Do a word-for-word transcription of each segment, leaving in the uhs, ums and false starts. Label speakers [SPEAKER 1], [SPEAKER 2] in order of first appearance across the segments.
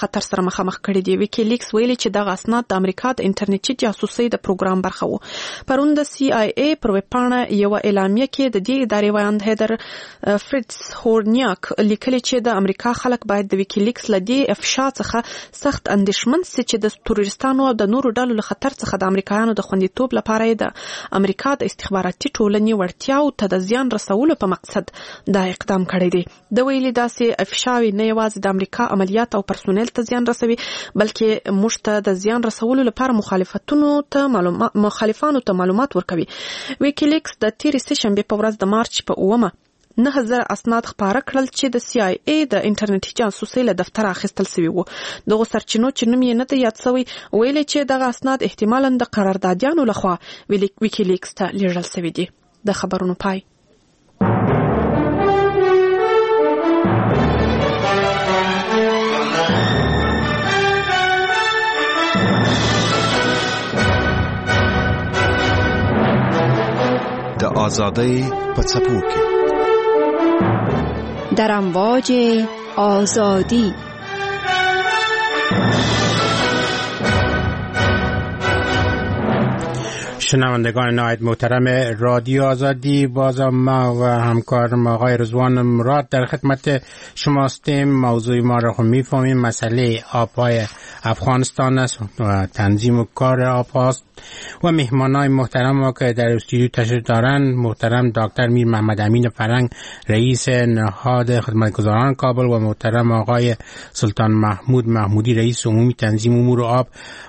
[SPEAKER 1] خطر سره مخامخ کړي دي. ویکیلیکس ویلي چې دغه اسناد د امریکا د انټرنیټي جاسوسۍ د پروګرام برخه وو. پرون د سي آی ای پر ویبپاڼه یوه اعلامیه کې د دې ادارې ویاند هیدر فریتز هورنیاک لیکلي چې د امریکا خلک باید د ویکیلیکس له دې افشا څخه سخت اندېښمن سي چې د تروریستانو او د نورو ډلو له خطر څخه د امریکایانو د خوندیتوب لپاره یې د امریکا د استخباراتي ټولنې وړتیاو ته د زیان رسولو په مقصد دا اقدام کړی دی. ده ویلي، داسې افشاوې نه یوازې د امریکا عملیات او پرسونل ته زیان رسوي، بلکې موږ ته د زیان رسولو لپاره مخالفتونو ته معلومات مخالفانو ته معلومات ورکوي. ویکیلیکس د تیرې سه شنبې په ورځ د مارچ په اوومه نهه زره اسناد خپاره کړل چې د سي آی ای د انټرنیټي جاسوسۍ له دفتره اخیستل شوي وو. دغو سرچینو چې نوم یې نه دی یاد شوی ویلي چې دغه اسناد احتمالاً د قراردادیانو لخوا ویکیلیکس ته لیږل شوي دي. د خبرونو پای.
[SPEAKER 2] د ازادۍ په څپو کې،
[SPEAKER 3] در امواج آزادی.
[SPEAKER 4] شنوندگان نهایت محترم رادیو آزادی، بازم ما و همکارم آقای رضوان مراد در خدمت شما هستیم. موضوع ما را هم میفهمیم، مسئله آبهای افغانستان است و تنظیم و کار آب هاست و مهمانای محترم ما که در استودیو تشریف دارند، محترم دکتر میر محمد امین فرنگ، رئیس نهاد خدمتگزاران کابل، و محترم آقای سلطان محمود محمودی، رئیس عمومی تنظیم امور آب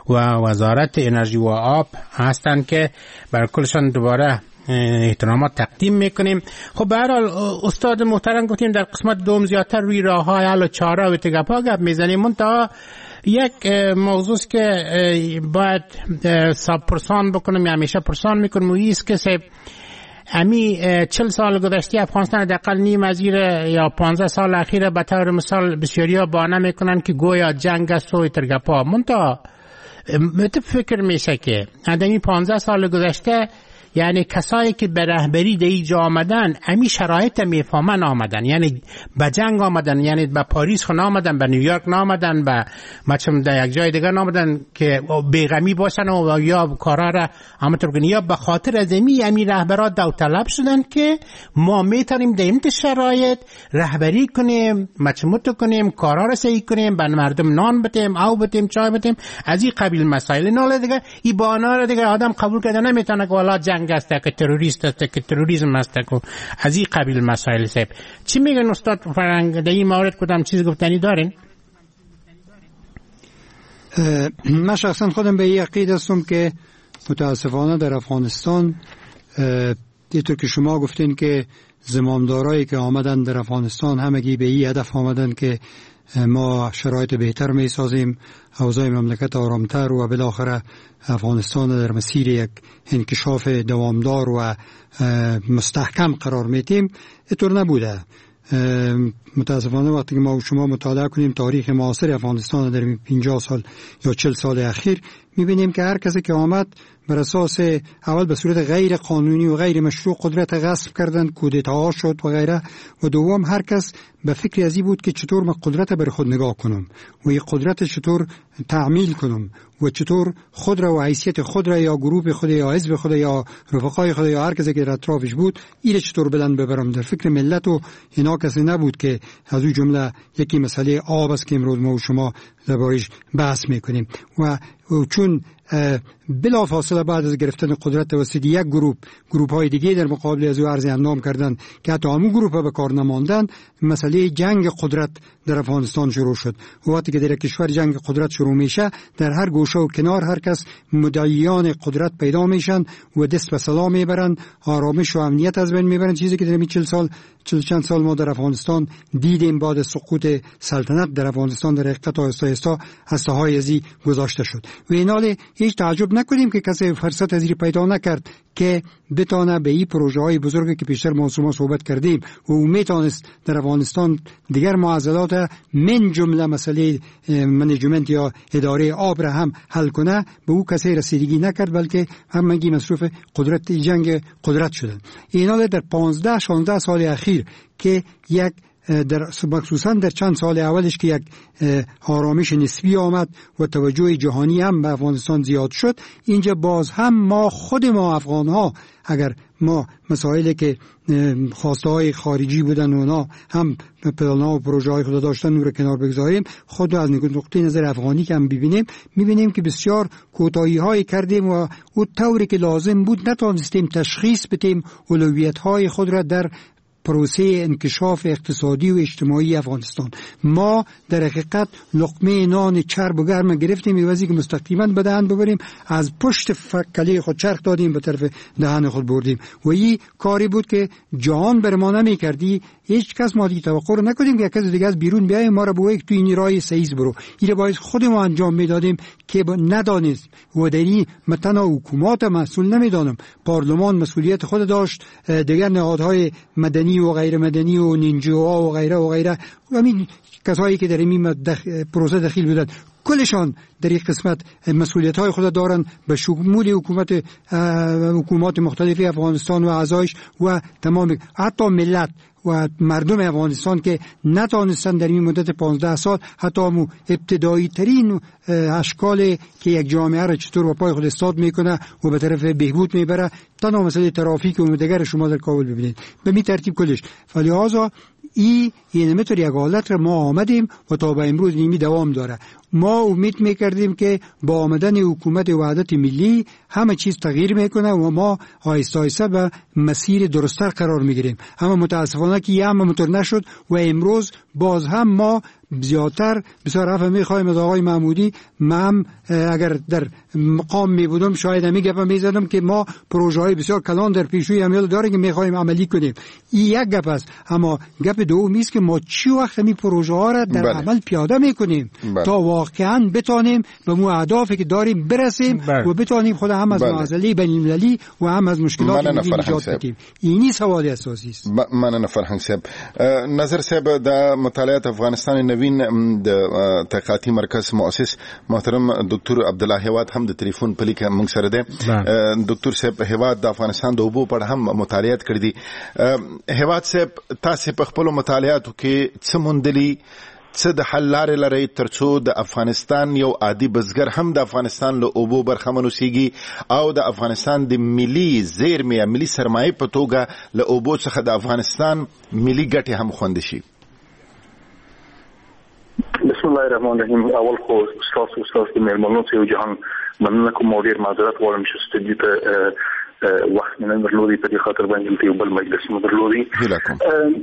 [SPEAKER 4] و وزارت انرژی و آب هستند که بر کلشان دوباره احترامات تقدیم میکنیم. خب به هر حال استاد محترم، گفتیم در قسمت دوم زیادتر روی راه های حل و چاره و تگپا گپ میزنیم. منتها یک موضوع است که باید ساب پرسان بکنم یا همیشه پرسان میکنم، و ایست که صاحب امی چل سال گذشته افغانستان حداقل نیم از یا پانزده سال اخیر به طور مثال بسیاری ها بهانه میکنن که گویا جنگ است و ترگپا. منتها مت فکر میشه که این پانزده سال گذشته، یعنی کسایی که به رهبری در اینجا آمدن امی شرایط میفهمن آمدن، یعنی به جنگ آمدن، یعنی به پاریس خو نامدن، به نیویورک نامدن، به مچم در یک جای دیگر نامدن که بیغمی باشن و یا کارا را همونطور کنن، یا به خاطر از امی امی رهبرات داوطلب شدن که ما میتونیم در این شرایط رهبری کنیم، مچموت کنیم، کارا را صحیح کنیم، به مردم نان بدیم، آب بدیم، چای بدیم، از این قبیل مسائل. نه دیگه این بهانه را دیگه آدم قبول کرده نمیتونه که والا جنگ است که تروریست است که تروریسم است که از این قبیل مسائل. صاحب چی میگن استاد فرنگ در این مورد؟ کدام چیز گفتنی دارین؟
[SPEAKER 5] من شخصا خودم به این عقیده هستم که متاسفانه در افغانستان اینطور که شما گفتین که زمامدارایی که آمدن در افغانستان همگی به این هدف آمدن که ما شرایط بهتر می سازیم، اوضاع مملکت آرامتر و بالاخره افغانستان در مسیر یک انکشاف دوامدار و مستحکم قرار میتیم، اینطور نبوده. متاسفانه وقتی که ما و شما مطالعه کنیم تاریخ معاصر افغانستان در پنجاه سال یا چهل سال اخیر، میبینیم که هر کسی که آمد بر اساس اول به صورت غیر قانونی و غیر مشروع قدرت غصب کردند، کودتاها شد و غیره، و دوم هر کس به فکر ازی بود که چطور من قدرت بر خود نگاه کنم و این قدرت چطور تعمیل کنم و چطور خود را و حیثیت خود را یا گروه خود یا حزب خود یا رفقای خود یا هر کسی که در اطرافش بود ایره چطور بلند ببرم. در فکر ملت و اینا کسی نبود که از او جمله یکی مسئله آب است که امروز ما و شما دربارش بحث میکنیم. و چون بلا فاصله بعد از گرفتن قدرت توسط یک گروه، گروه های دیگه در مقابل از او عرض اندام کردن که حتی همون گروه به کار نماندن، مسئله جنگ قدرت در افغانستان شروع شد. و وقتی که در کشور جنگ قدرت شروع میشه، در هر گوشه و کنار هر کس مدعیان قدرت پیدا میشن و دست به سلام میبرن، آرامش و امنیت از بین میبرن، چیزی که در چهل سال چهل چند سال ما در افغانستان دیدیم. بعد سقوط سلطنت در افغانستان در حقیقت آهسته آهسته هسته‌های ازی گذاشته شد و اینال هیچ تعجب نکنیم که کسی فرصت ازی پیدا نکرد که بتانه به این پروژه های بزرگی که پیشتر ما شما صحبت کردیم و او میتونست در افغانستان دیگر معضلات من جمله مسئله management یا اداره آب را هم حل کنه، به او کسی رسیدگی نکرد، بلکه همگی مصروف قدرت جنگ قدرت شدن. اینا در پانزده شانزده سال اخیر که یک در مخصوصا در چند سال اولش که یک آرامش نسبی آمد و توجه جهانی هم به افغانستان زیاد شد، اینجا باز هم ما خود ما افغان ها اگر ما مسائلی که خواسته های خارجی بودن و اونا هم پلان ها و پروژه های خود داشتن رو کنار بگذاریم، خود از نقطه نظر افغانی که هم ببینیم، میبینیم که بسیار کوتاهی های کردیم و او طوری که لازم بود نتونستیم تشخیص بدیم اولویت های خود را در پروسه انکشاف اقتصادی و اجتماعی افغانستان. ما در حقیقت لقمه نان چرب و گرم گرفتیم، عوضی که مستقیما به دهن ببریم از پشت کله خود چرخ دادیم به طرف دهن خود بردیم و این کاری بود که جهان بر ما نمی‌کردی. هیچ کس ما دیگه توقع رو نکنیم که کس دیگه از بیرون بیایم ما را بگه تو این راه سیز برو. این باید خود ما انجام میدادیم که ندانست و در این تنها حکومت مسئول نمیدانم، پارلمان مسئولیت خود داشت، دیگر نهادهای مدنی و غیر مدنی و نینجوها و غیره و غیره و همین کسایی که در این دخ... پروسه دخیل بودند کلشان در این قسمت مسئولیت های خود دارند به شمول حکومت حکومات مختلف افغانستان و اعضایش و تمام حتی ملت و مردم افغانستان که نتانستند در این مدت پانزده سال حتی مو ابتدایی ترین اشکال که یک جامعه را چطور با پای خود استاد میکنه و به طرف بهبود میبره، تنها مسئله ترافیک و دیگر شما در کابل ببینید به می ترتیب کلش. فلهذا ای یعنی مطور یک حالت را ما آمدیم و تا به امروز نیمی دوام داره. ما امید میکردیم که با آمدن حکومت وحدت ملی همه چیز تغییر میکنه و ما آهسته آهسته به مسیر درستتر قرار میگیریم، اما متاسفانه که یه هم مطور نشد و امروز باز هم ما زیادتر بسیار عفو میخوایم از آقای محمودی. من اگر در مقام می بودم شاید همی گپ میزدم که ما پروژه های بسیار کلان در پیشوی عمل داریم که میخوایم عملی کنیم. این یک گپ است. اما گپ دوم است که ما چی وقت همی پروژه ها را در بله. عمل پیاده میکنیم بله. تا واقعا بتانیم به مو اهدافی که داریم برسیم بله. و بتانیم خود هم از معضله بین المللی و هم از مشکلات ملی نجات بدیم. اینی سوال اساسی است.
[SPEAKER 6] مننه فرهنگ صاحب. نظر صاحب د مطالعات افغانستان نوین د تحقیقاتي مرکز مؤسس محترم دکتور عبدالله هیواد هم د تلیفون په لیکه موږ سره دی. دکتور صاحب هیواد د افغانستان د اوبو په اړه هم مطالعات کړي دي. هیواد صاحب تاسو په خپلو مطالعاتو کې څه موندلي، څه د حل لارې لرئ ترڅو د افغانستان یو عادي بزګر هم د افغانستان له اوبو برخمن اوسیږي او د افغانستان د ملي زیرمې یا ملي سرمایې په توګه له اوبو څخه د افغانستان ملي ګټې هم خوندي شي؟
[SPEAKER 7] بسم الله الرحمن الرحیم. اول خو ستاسو ستاسو د مېلمنو څخه یو جهان مننه کوم او ډېر معذرت غواړم چې ستدیو ته وخت مې نه درلودی، په دې خاطر باندې دلته یو بل مجلس مو درلودی.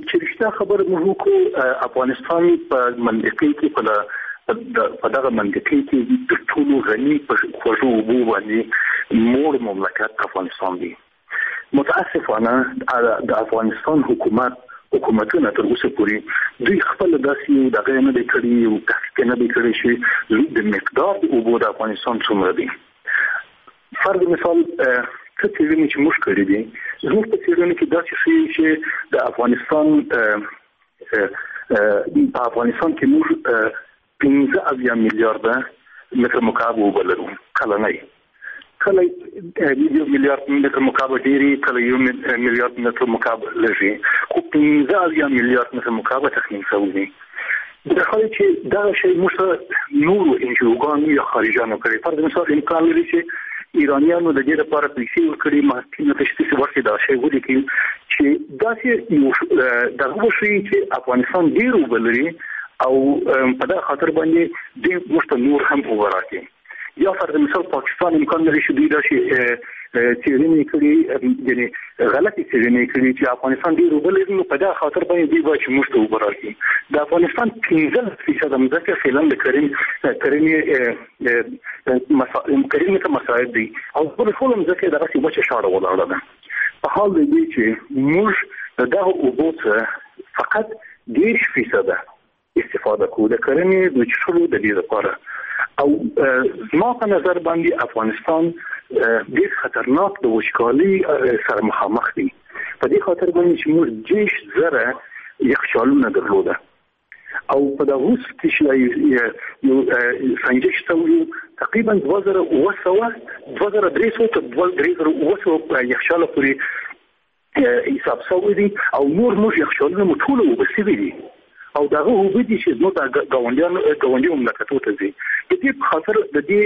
[SPEAKER 7] چې رښتیا خبره موږ وکړو، افغانستان په منطقې کې په په دغه منطقې کې تر ټولو غني په خوږو اوبو باندې مور مملکت افغانستان دی. متاسفانه د افغانستان حکومت حکومتونه تر اوسه پورې دوی خپل داسې یو دغه نه دی کړي، یو تحقیق نه دی کړی چې د مقدار د اوبو د افغانستان څومره دی. فرض مثال څه څېړنې چې موږ کړې دي، زموږ په څېړنو کې داسې ښیي چې د افغانستان په افغانستان کې موږ پنځه اویا میلیارده متر مکعب اوبه لرو کلنۍ. کله یو میلیارد متر مکعب ډېرې، کله یو میلیارد متر مکعب لږې، خو پنځه اویا میلیارد متر مکعب تخمین شوي دي. در حالی چې دغه شی موږ ته نورو انجیوګانو یا خارجیانو کړی. فرض مثال امکان لري چې ایرانیانو د دې لپاره پیسې ورکړي، محکمې ته چې ورشي دا شی ولیکي چې داسې یو دغه وښیي چې افغانستان ډېر اوبه لري او په دغه خاطر باندې دوی موږ ته نور هم اوبه راکړي. یا فرض مثال پاکستان امکان لري چې دوی داسې څېړنې کړي، یعنې غلطې څېړنې کړي چې افغانستان ډېر اوبه لري، نو په دغه خاطر باندې دوی باید چې موږ ته اوبه راکړي. د افغانستان پنځلس فیصده مځکه فعلا د کرنې کرنې کرنې ته مساعد دی او بله ټوله مځکه دغسې وچه شاړه ولاړه ده. په حال د دې چې موږ د دغه اوبو څخه فقط دېرش فیصده استفاده کوو د کرنې د څښلو د دې لپاره. او زما په نظر باندې افغانستان ډېر خطرناک د وچکالۍ سره مخامخ دی. په دې خاطر باندې چې موږ دېرش زره یخچالونه درلوده او په دغه اوس کې چې یو سنجش شوی تقریبا دوه زره اووه سوه دوه زره درې سوه تر دوه درې زره اووه سوه یخچاله پورې حساب شوی دی او نور موږ یخچالونه مو ټول اوبه شوي دي. او دغه اوبه دي چې زموږ د ګاونډیانو ګاونډیو مملکتو ته ځي. د دې په خاطر د دې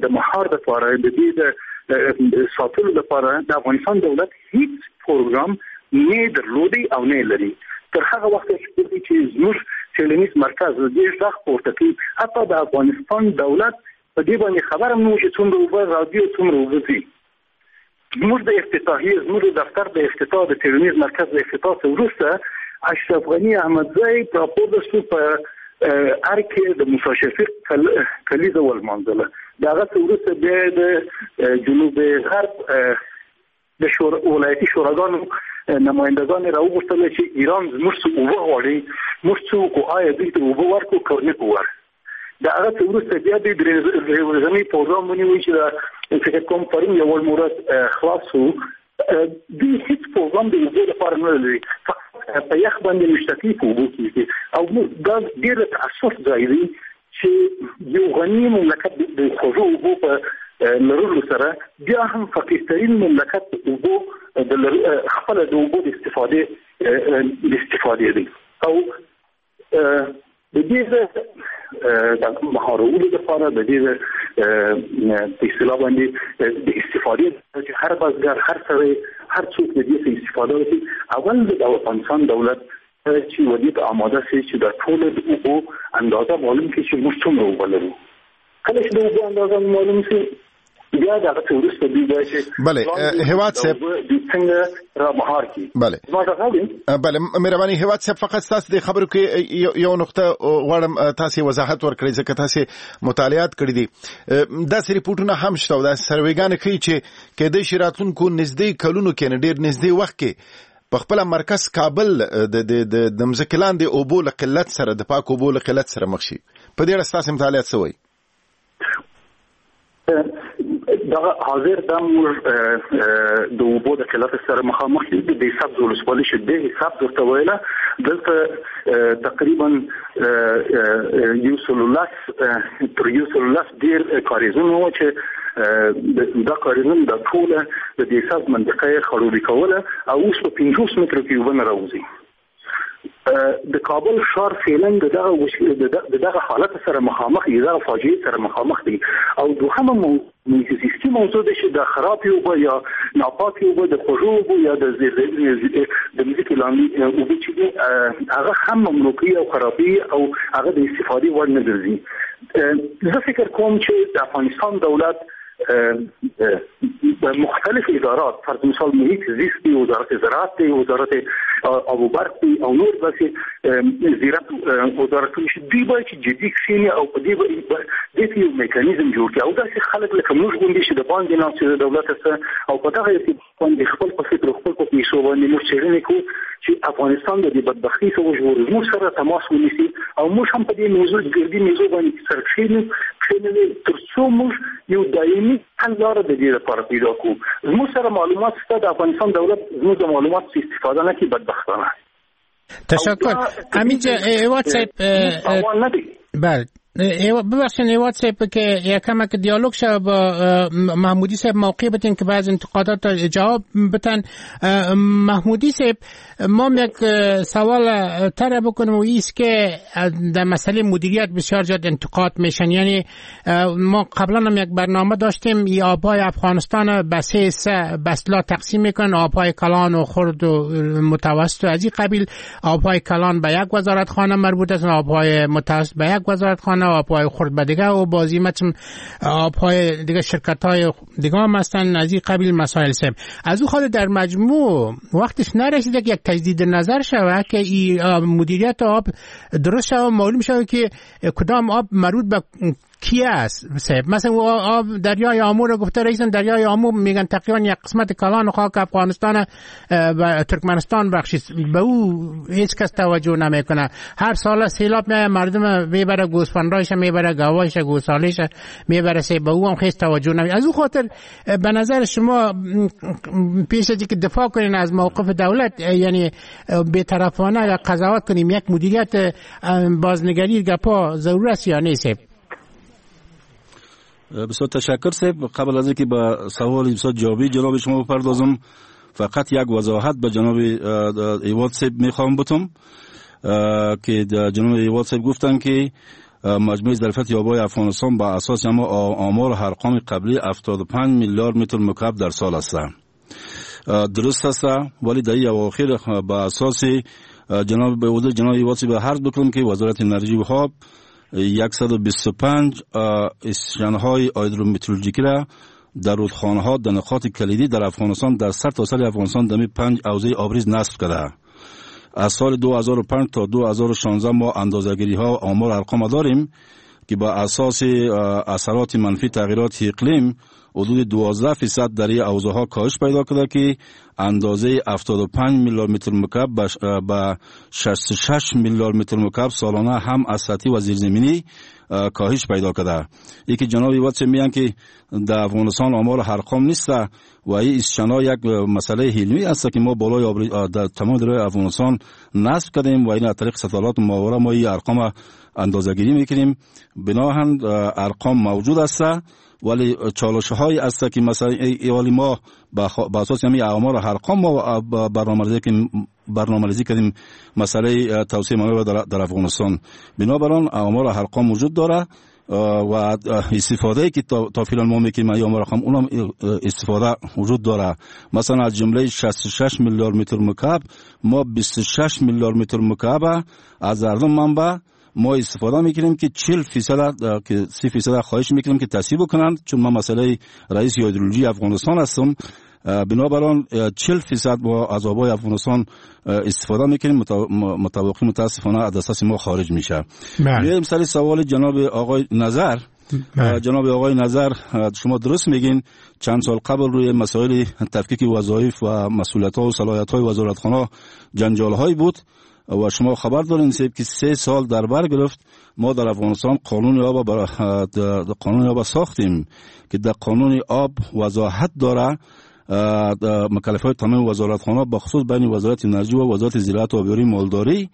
[SPEAKER 7] د مهار لپاره، د دې د ساتلو لپاره د افغانستان دولت هیڅ پروګرام نه درلودی او نه لري. تر هغه وخته چې زموږ څېړنیز مرکز د دې غږ پورته کوي، حتی د افغانستان دولت په دې باندې خبر هم نه و چې څومره اوبه راځي او څومره اوبه ځي. زموږ د افتتاحیې، زموږ د دفتر د افتتاح، د څېړنیز مرکز د افتتاح څخه وروسته اشرف غني احمدزی راپورته شو، په ارګ کې د موسی شفیق کلیزه ولمانځله. د هغه څخه وروسته بیا د جنوب غرب د شور ولایتي شوراګانو نمایندګان راوغوښتل چې ایران زموږ څخه اوبه غواړي، موږ څه وکړو؟ آیا دوی ته اوبه ورکړو که نه کړو ور؟ د هغه څخه وروسته بیا دوی درې ورځنی پروګرام ونیو چې د فکر کوم پرون یو ورځ خلاص شو. دوی هیڅ پروګرام د اوبو لپاره نه لري، فقط په یخ باندې مشتقي په اوبو کېږي. او دا ډېر د تأسف ځای دی چې یو غني مملکت د خوږو اوبو په لرلو سره بیا هم فقیرترین مملکت اوبو د خپل د اوبو د استفادې د استفادې دی. او د دې د مهارولو لپاره، د دې په اصطلاح باندې د استفادې چې هر بزګر، هر سړی، هر څوک د دې څخه استفاده وکړي، اول د افغانستان دولت چې ودې ته آماده شي چې د ټولو د اوبو اندازه معلوم کړي چې موږ څومره اوبه لرو. کله چې د اوبو اندازه معلوم شي، بیا د هغه څخه وروسته دوی باید چې
[SPEAKER 6] بله هیواد صاحب
[SPEAKER 7] دوی څنګه را مهار کړي.
[SPEAKER 6] بله بله مهرباني هیواد صاحب، فقط ستاسو د خبرو کې یو نقطه غواړم تاسو وضاحت ورکړئ، ځکه تاسو مطالعات کړي دي. داسې رپورټونه هم شته او داسې سرویګانې ښيي چې کېدای شي راتلونکو نږدې کلونو کې، نه ډېر نږدې وخت کې، په خپل مرکز کابل د د د مځکې لاندې اوبو له قلت سره، د پاکو اوبو له قلت سره مخ شي. په دې اړه ستاسو مطالعات څه وایي؟
[SPEAKER 7] دغه حاضر د موږ د اوبو د قلت سره مخامخ یو. د سبز ولسوالۍ چې د سبز ورته ویله، دلته تقریبا یو سل لس تر یو سل لس ډېر کاریزونه وو چې دا کاریزونه د ټوله د دې سبز منطقه یې خړوبي کوله او اوس په پنځوس مترو کې اوبه نه راوځي. د کابل ښار فعلا د دغه د دغه حالت سره مخامخ دی، دغه فاجعې سره مخامخ دی. او دوهمه محیط زیستي موضوع ده چې د خرابې اوبه یا ناپاکې اوبه، د خوږو اوبو یا د د مځکې لاندې اوبه چې دي، هغه هم ممنوع کوي او خرابوي او هغه د استفادې وړ نه ګرځي. زه فکر کوم چې د افغانستان دولت مختلف ادارات، فرض مثال محیط زیست دی، وزارت زراعت دی، وزارت آب و برق دی او نور داسې زیرت وزارتونه چې دوی باید چې جدي کښېني او په دې دې کې یو میکانیزم جوړ کړي او داسې خلک لکه موږ غوندې چې د باندې ناست د دولت څخه او په دغه ارتباط باندې خپل په فکر او خپل په پیسو باندې موږ څېړنې کوو چې افغانستان د دې بدبختۍ څخه وژغورو، موږ سره تماس ونیسي او موږ هم په دې موضوع ګردي موضوع باندې سره کښېنو کښېنو تر څو موږ یو دایمي حل لاره د دې لپاره پیدا کړو. زموږ سره معلومات شته، د افغانستان دولت زموږ د معلوماتو څخه استفاده نه کوي بدبختانه.
[SPEAKER 4] تشکر. همینجا هیواد صاحب، بله ببخشید هیواد صاحب که یکم که دیالوگ شد با محمودی صاحب موقع بتین که بعض انتقادات جواب بتن. محمودی صاحب، ما یک سوال تر بکنم و ایست که در مسئله مدیریت بسیار زیاد انتقاد میشن. یعنی ما قبلا هم یک برنامه داشتیم، ای آبهای افغانستان به سه حصه به اصطلاح تقسیم میکنن، آبهای کلان و خرد و متوسط و از این قبیل. آبهای کلان به یک وزارت خانه مربوط است، آبهای متوسط به یک وزارت خانه، آبهای خرد به دیگه و بازی متم آبهای دیگه شرکت‌های دیگه هم هستن، از این قبیل مسائل سب. از او خود در مجموع وقتش نرسیده که یک تجدید نظر شود که ای مدیریت آب درست شود، معلوم شود که کدام آب مربوط به کی است. صاحب مثلا آب دریای آمو رو گفته رئیسن، دریای آمو میگن تقریبا یک قسمت کلان خاک افغانستان و ترکمنستان بخشید، به او هیچ کس توجه نمیکنه. هر سال سیلاب میاد، مردم میبره، گوسفندایش میبره، گاوایش، گوساله‌ش میبره، سه به او هم هیچ توجه نمی. از او خاطر به نظر شما پیش از اینکه دفاع کنین از موقف دولت، یعنی بی‌طرفانه یا قضاوت کنیم، یک مدیریت بازنگری گپا ضرور است یا نیست؟
[SPEAKER 8] بسیار تشکر صاحب. قبل از اینکه به سوال بسیار جوابی جناب شما بپردازم، فقط یک وضاحت به جناب ایواد صاحب میخوام بتم. که جناب ایواد صاحب گفتن که مجموع ظرفیت آبهای افغانستان با اساس اما آمار ارقام قبلی هفتاد و پنج میلیارد متر مکعب در سال است. درست است، ولی در این اواخر با اساس جناب به حضور جناب ایواد صاحب عرض بکنم که وزارت انرژی و آب صد و بیست و پنج استشن‌های هیدرومترولوژیکی را در رودخانه‌ها در نقاط کلیدی در افغانستان در سرتاسر افغانستان در پنج حوزه آبریز نصب کرده. از سال دو هزار و پنج تا دو هزار و شانزده ما اندازه‌گیری‌ها آمار ارقام داریم که با اساس اثرات منفی تغییرات اقلیم حدود دوازده درصد در این حوزه‌ها کاهش پیدا کرده که اندازه هفتاد و پنج میلیارد متر مکعب به شصت و شش میلیارد متر مکعب سالانه هم از سطحی و زیرزمینی کاهش پیدا کرده. یکی جناب ایواد میگن که در افغانستان آمار ارقام نیست و این استشنا یک مسئله علمی است که ما بالای آب در تمام دریای افغانستان نصب کردیم و این از طریق ستالات ماهواره ما این ارقام اندازه‌گیری میکنیم. بناهن ارقام موجود است، ولی چالش های است که مثلا ولی ما با اساس همین آمار ارقام ما برنامه‌ریزی که برنامه‌ریزی کردیم مسئله توسعه منابع در, در افغانستان. بنابراین آمار ارقام وجود داره و استفاده که تا, تا فعلا ما میکنیم یا آمار ارقام اونم استفاده وجود داره. مثلا از جمله شصت و شش میلیارد متر مکعب ما بیست و شش میلیارد متر مکعب از هر دو منبع ما استفاده میکنیم که چهل درصد که سی درصد خواهش میکنیم که تصویب کنند، چون ما مسئله رئیس هیدرولوژی افغانستان هستم. بنابراین چهل درصد با از آبهای افغانستان استفاده میکنیم، متواقع متاسفانه از دسترس ما خارج میشه. میایم سر سوال جناب آقای نظر. جناب آقای نظر شما درست میگین، چند سال قبل روی مسائل تفکیک وظایف و مسئولیت‌ها و صلاحیت‌های وزارتخانه جنجال‌هایی بود و شما خبر دارین که سه سال در بر گرفت. ما در افغانستان قانون آب بر... قانون آب ساختیم که در قانون آب وضاحت داره مکلفیت تمام وزارتخانه به خصوص بین وزارت انرژی و وزارت زراعت و آبیاری مالداری.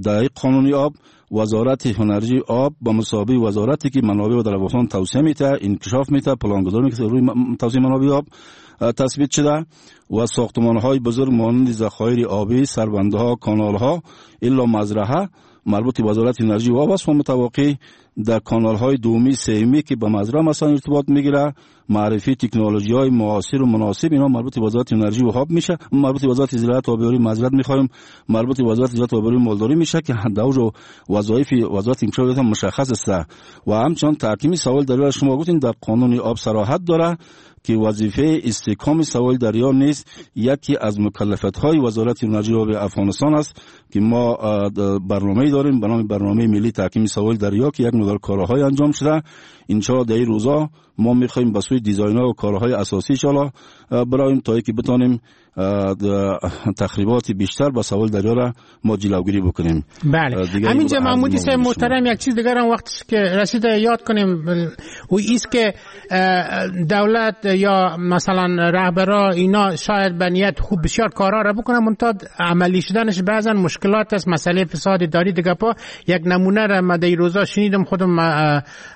[SPEAKER 8] در قانون آب وزارت انرژی آب با مساوی وزارتی که منابع در افغانستان توسعه میده، انکشاف میده، پلانگذاری میکنه روی توسعه منابع آب تثبیت شده و ساختمان‌های بزرگ مانند ذخایر آبی، سربندها، کانال‌ها الا مزرعه مربوط به وزارت انرژی و آب است و متواقع در کانال‌های دومی سومی که به مزرعه مثلا ارتباط میگیره، معرفی تکنولوژی‌های معاصر و مناسب اینا مربوط به وزارت انرژی و آب میشه، مربوط به وزارت زراعت و آبیاری معذرت می‌خوایم، مربوط به وزارت زراعت و آبیاری مالداری میشه که دور و وظایف وزارت انکشاف مشخص است. و همچنین تحکیم سوال دریا شما گفتین در قانون آب صراحت داره که وظیفه استحکام سوال دریا نیز یکی از مکلفیت‌های وزارت انرژی و آب افغانستان است که ما برنامه‌ای داریم به نام برنامه ملی تحکیم سوال دریا که یک مقدار کارهای انجام شده. ان شاء الله در این روزا ما می‌خوایم به سوی دیزاین‌ها و کارهای اساسی ان شاء الله برایم تا اینکه بتانیم تخریبات بیشتر با سوال دریا را ما جلوگیری بکنیم.
[SPEAKER 4] بله همینجا محمودی صاحب محترم یک چیز دیگر هم وقتی که رسیده یاد کنیم و ایست که دولت یا مثلا رهبرا اینا شاید به نیت خوب بسیار کارا را بکنن، منتها عملی شدنش بعضا مشکلات است. مسئله فساد اداری دیگه پا یک نمونه را ما در روزا شنیدم خودم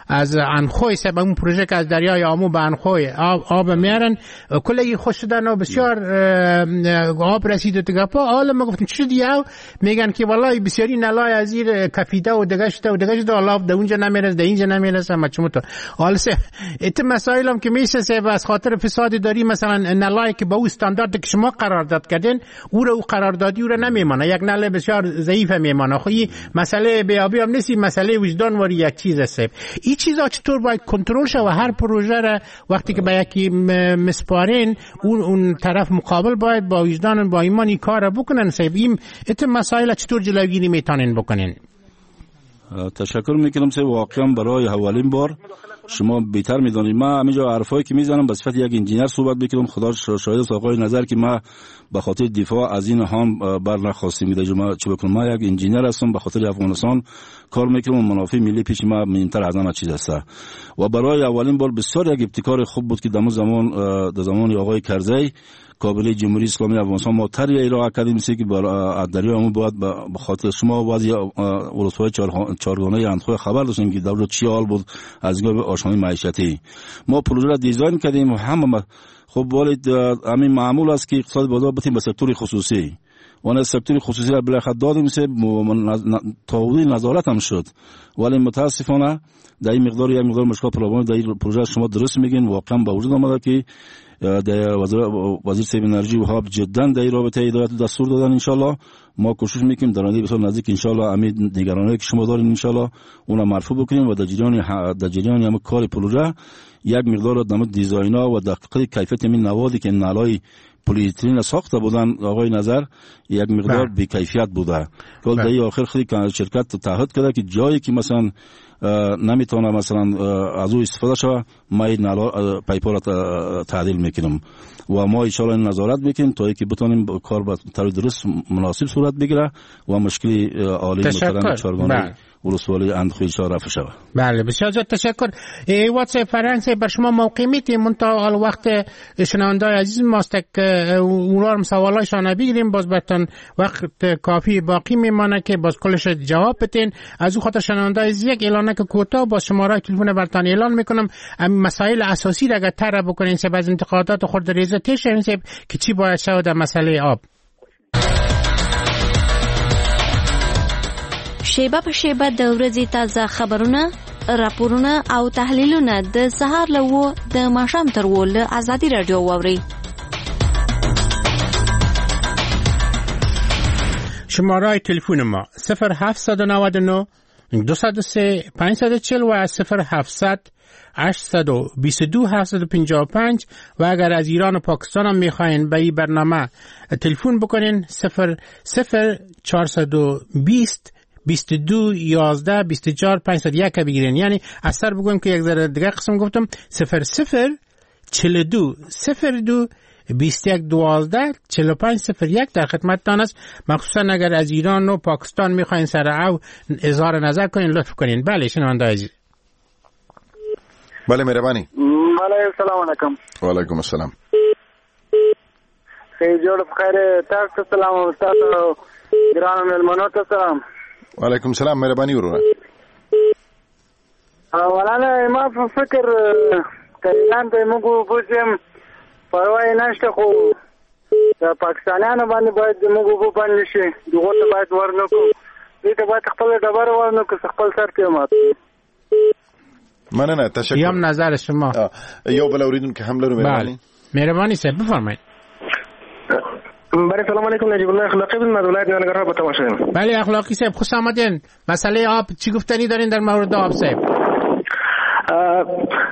[SPEAKER 4] از انخوی سبب اون پروژه که از دریای آمو به انخوی آب, آب میارن کلی خوش شدن و بسیار آب رسید و دیگه پا حالا ما گفتیم چی دیگه میگن که والله بسیاری نلای از زیر کفیده و دیگه شده و دیگه شده، آب در اونجا نمیرسه در اینجا نمیرسه. ما چمو تو حالا سه ات مسائل هم که میشه سه از خاطر فساد داری مثلا نلای که با او استاندارد که شما قرارداد کردین او رو او قراردادی او رو نمیمانه، یک نله بسیار ضعیف میمانه. خب این مسئله بیابی هم نیست، مسئله وجدان واری یک چیز است. این چیزا چطور باید کنترل شه و هر پروژه را وقتی که به یکی مسپارین اون اون طرف مقابل باید با وجدان و با ایمان این کار را بکنن. صاحب این ات مسائل چطور جلوگیری میتونن بکنن؟
[SPEAKER 8] تشکر میکنم سه واقعا برای اولین بار شما بهتر میدونید. من همینجا حرفایی که میزنم به صفت یک انجینیر صحبت میکنم. خدا شاهد است آقای نظر که من به خاطر دفاع از این هم بر نخواستیم که ما چه بکنم. من یک انجینیر هستم، به خاطر افغانستان کار میکنم و منافع ملی پیش ما مهمتر از همه چیز است. و برای اولین بار بسیار یک ابتکار خوب بود که در زمان در زمان آقای کرزی کابینه جمهوری اسلامی افغانستان ما طرح ارائه کردیم که بر دریای آمو باید به خاطر شما بعضی ولسوالهای چهارگانه اندخوی خبر داشتیم که دولت چی حال بود از نگاه آشامی معیشتی. ما پروژه را دیزاین کردیم و همه خب ولی همین معمول است که اقتصاد بازار بتیم به سکتور خصوصی و سکتور خصوصی را بالاخره دادیم سه تا حدودی نظارت هم شد، ولی متاسفانه در این مقدار یک مقدار مشکل پروژه در این پروژه شما درست میگین واقعا به وجود آمده که در وزیر وزیر صاحب انرژی و آب جدا در این رابطه هدایت دستور دادن. انشالله ما کوشش میکنیم در آینده بسیار نزدیک انشالله همین نگرانی‌هایی که شما دارین انشالله اونا مرفوع بکنیم و در جریان در جریان هم کار پروژه یک مقدار در دیزاینا و دقیق کیفیت این نوادی که نلای پلی‌اتیلن ساخته بودن آقای نظر یک مقدار بی‌کیفیت بوده. کل در آخر خیلی شرکت تعهد کرده که جایی که مثلا نمیتونه مثلا از او استفاده شوه ما این پایپا را تعدیل میکنیم و ما ان شاء الله نظارت میکنیم تا اینکه بتونیم کار به طور درست مناسب صورت بگیره و مشکل عالی محترم چارگانه ولسوالی اندخوی رفع شود.
[SPEAKER 4] بله بسیار زیاد تشکر. واتس فرانسه بر شما موقع میتیم منتها حال وقت شنوندای عزیز ماست که اونا هم سوالایشان بگیریم، باز بهتون وقت کافی باقی میمانه که باز کلش جواب بدین. از او خاطر شنوندای عزیز یک اعلانه که کوتاه با شماره تلفن براتون اعلان میکنم، مسائل اساسی را اگر طرح بکنین سه بعض انتقادات خورد ریزه تیش که چی باید شود در مسئله آب.
[SPEAKER 9] شیبه په شیبه د ورځې تازه خبرونه، راپورونه او تحلیلونه د سهار له اوو د ماښام تر اوو له ازادي راډیو واورئ.
[SPEAKER 4] شماره تلفن ما صفر هفت نه نه دو سه پنج چهار و صفر هفت هشت دو دو هفت پنج پنج و اگر از ایران و پاکستان هم میخواین به این برنامه تلفن بکنین صفر صفر چهار بیست بیست و دو یازده بیست و چهار پانصد و یک بگیرین. یعنی از سر بگویم که یک ذره دیگه قسم گفتم صفر صفر چهل و دو صفر دو بیست و یک دوازده چهل و پنج صفر یک در خدمتتان است. مخصوصا اگر از ایران و پاکستان میخواین سر او اظهار نظر کنین لطف کنین. بله شنونده عزیز.
[SPEAKER 6] بله مهربانی.
[SPEAKER 10] بله سلام علیکم.
[SPEAKER 6] و علیکم السلام.
[SPEAKER 10] خیر جوړ بخیر تاسو سلام او تاسو ګرانو مېلمنو ته سلام.
[SPEAKER 6] وعلیکم السلام مهربانی وروره.
[SPEAKER 10] اولاً ما په فکر کایران ته موږ وبوزم پروا یې نشته، خو د پاکستانیانو باندې باید موږ اوبه بند شي، دغو ته باید ورنه کړو، دوی ته باید خپله ډبره ورنه کړو، خپل سر ته مات.
[SPEAKER 6] مننه تشکر.
[SPEAKER 4] یم نظر شما.
[SPEAKER 6] یو بل اوریدونکی هم لرو. مهربانی.
[SPEAKER 4] مهربانی صاحب بفرمایید.
[SPEAKER 11] بله سلام علیکم، نجیب الله اخلاقی بودم از ولایت ننگرهار با تماس شدیم.
[SPEAKER 4] بله اخلاقی صاحب خوش آمدین. مسئله آب چی گفتنی دارین در مورد آب صاحب؟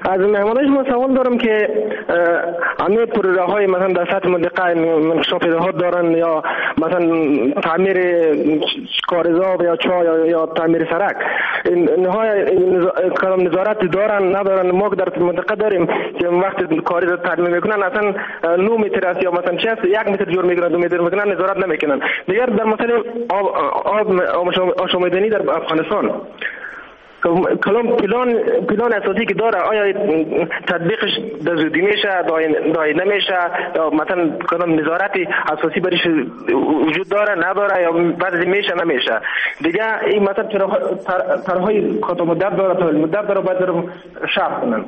[SPEAKER 11] از مهمانای شما سوال دارم که همه پروژه های مثلا در سطح منطقه انکشاف دهات دارن یا مثلا تعمیر کارزاب یا چاه یا, یا تعمیر سرک، اینها کدام نظارت دارن ندارن؟ ما در منطقه داریم که وقتی کارز تعمیر میکنن اصلا نه متر است یا مثلا چه است، یک متر جور میکنن، دو متر میکنن، نظارت نمیکنن. دیگر در مسئله آب آب آشامیدنی در افغانستان کلام پلان پلان اساسی که داره آیا تطبیقش در زودی میشه دای نمیشه یا مثلا کدام نظارتی اساسی برش وجود داره نداره یا بعضی میشه نمیشه. دیگه این مثلا طرحهای کوتاه مدت داره طول مدت داره باید شرح کنن.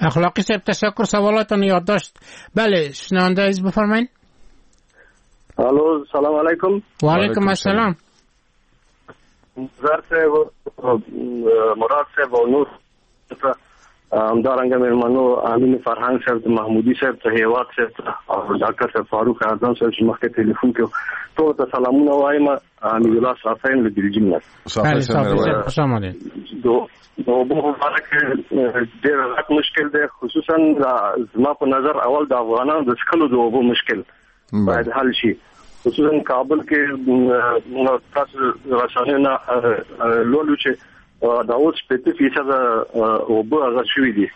[SPEAKER 4] اخلاقی صاحب تشکر، سوالاتون یادداشت. بله شنونده عزیز بفرمایید.
[SPEAKER 10] الو سلام علیکم.
[SPEAKER 4] و علیکم السلام.
[SPEAKER 10] نظر صاحب، مراد صاحب او نور همدارنګه مېلمنو امین فرهنګ صاحب، محمودي صاحب ته، هیواد صاحب ته او ډاکټر صاحب فاروق اعظم صاحب چې مخکې ټلیفون کې ټولو ته سلامونه وایم. حمید الله صافی له بلجیم نه.
[SPEAKER 4] صافی خوش آمدید.
[SPEAKER 10] د اوبو په باره کې ډېر غټ مشکل دی، خصوصا زما په نظر اول د افغانانو د څښلو د اوبو مشکل باید حل شي، خصوصا کابل کې تاسو رسنیو نه لولو چې دا اوس شپېته فیصده اوبه هغه شوي دي،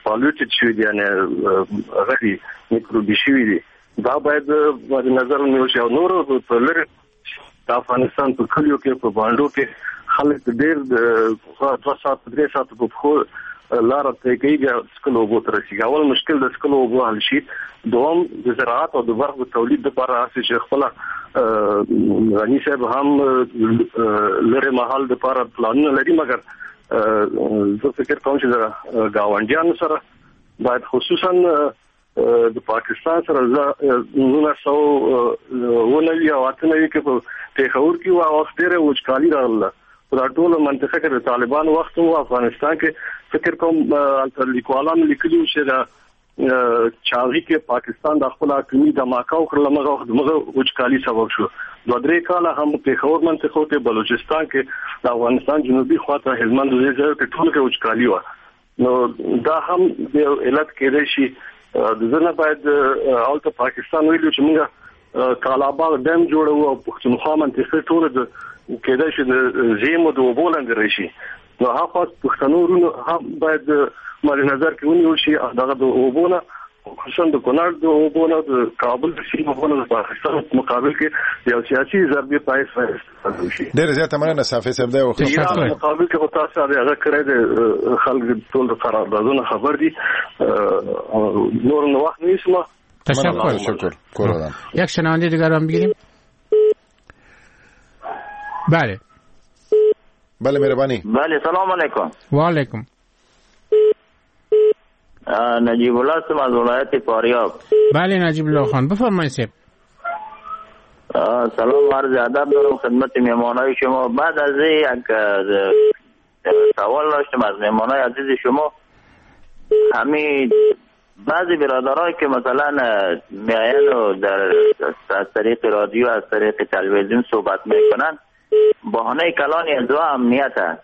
[SPEAKER 10] polluted شوي دي، یعنې هغه دي میکروبي شوي دي. دا باید نظر ونیول شي. او نور په لرې د افغانستان په کلیو کې په بانډو کې خلک ډېر دوه ساعته درې ساعته په پښو لاره طی کوي بیا څښلو اوبو ته رسېږي. اول مشکل د څښلو اوبو حل شي، دوم د زراعت او د برق د تولید لپاره هسې چې خپله غني صاحب هم لرې مهال دپاره پلانونه لري، مګر زه فکر کوم چې د ګاونډیانو سره باید خصوصا د پاکستان سره نولس سوه اووه نوي او اته نوي کې په پېښور کې وه، وخت ډېره وچکالي راغله. په دا ټوله منطقه کې د طالبانو وخت و. افغانستان کې فکر کوم هلته لیکوالانو لیکلي وو چې د چاغي کې پاکستان د خپل اټومي دماکه وکړله، مغه وخت دغه وچکالي سبب شو. دوه درې کاله هم پېښور منطقو کې، بلوچستان کې، د افغانستان جنوبي خواته هلمند دې ځای کې ټول کې وچکالي وه. نو دا هم یو علت کېدای شي. د زنه باید هلته پاکستان ویلي چې موږ کالاباغ ډیم جوړوو او پښتونخوا منطقه ټوله د کېدای شي د زیمو د اوبو لاندې راشي. نو هغه پښتنو وروڼو هم باید مد نظر کې ونیول شي. دغه د اوبو نه، خصوصا د کونړ د اوبو نه، د کابل د سیمې اوبو نه د پاکستان په مقابل کې یو سیاسي ضربې پای استفاده وشي.
[SPEAKER 6] ډېره زیاته مننه صافي صاحب. دی وخت
[SPEAKER 10] مقابل کې خو تاسو هغه کړی دی، خلک ټول د قراردادونو خبر دي. نور نو وخت نیسم.
[SPEAKER 4] تشکر.
[SPEAKER 6] تشکر.
[SPEAKER 4] یک شنونده دیگر هم بگیریم. بله
[SPEAKER 6] بله مهربانی.
[SPEAKER 12] بله سلام علیکم.
[SPEAKER 4] و علیکم.
[SPEAKER 12] نجیب الله هستم از ولایت فاریاب.
[SPEAKER 4] بله نجیب الله خان بفرمایید صاحب.
[SPEAKER 12] سلام عرض ادب دارم خدمت مهمانای شما. بعد از یک سوال داشتم از مهمانای عزیز شما. همین بعضی برادرایی که مثلا میاین و در از طریق رادیو از طریق تلویزیون صحبت میکنن، بهانه کلانی از امنیت است.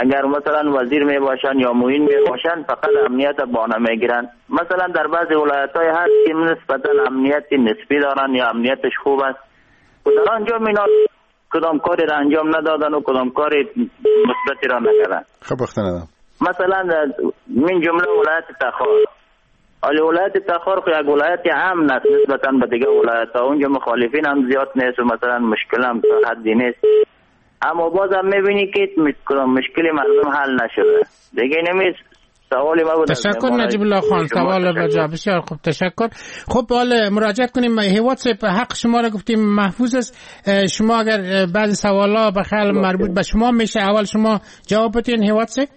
[SPEAKER 12] اگر مثلا وزیر می باشن یا معین می باشن فقط امنیت بهانه میگیرن. مثلا در بعضی ولایت های هست که نسبتا امنیت نسبی دارن یا امنیتش خوب است و در آنجا مینا کدام کاری را انجام ندادن و کدام کاری مثبتی را نکردن.
[SPEAKER 6] خب وقت
[SPEAKER 12] مثلا من جمله ولایت تخار. حالا ولایت تخار خو یک ولایت امن است نسبتا به دیگه ولایت ها، اونجا مخالفین هم زیاد نیست و مثلا مشکل هم تا حدی نیست، اما بازم میبینی که مشکل مردم حل نشده دیگه. نمی سوالی ما بود.
[SPEAKER 4] تشکر نجیب الله خان، سوال و جواب بسیار خوب، تشکر. خب حالا مراجعه کنیم هیواد صاحب، حق شما را گفتیم محفوظ است. شما اگر بعضی سوالا به خیال مربوط به شما میشه اول شما جواب بدین هیواد صاحب.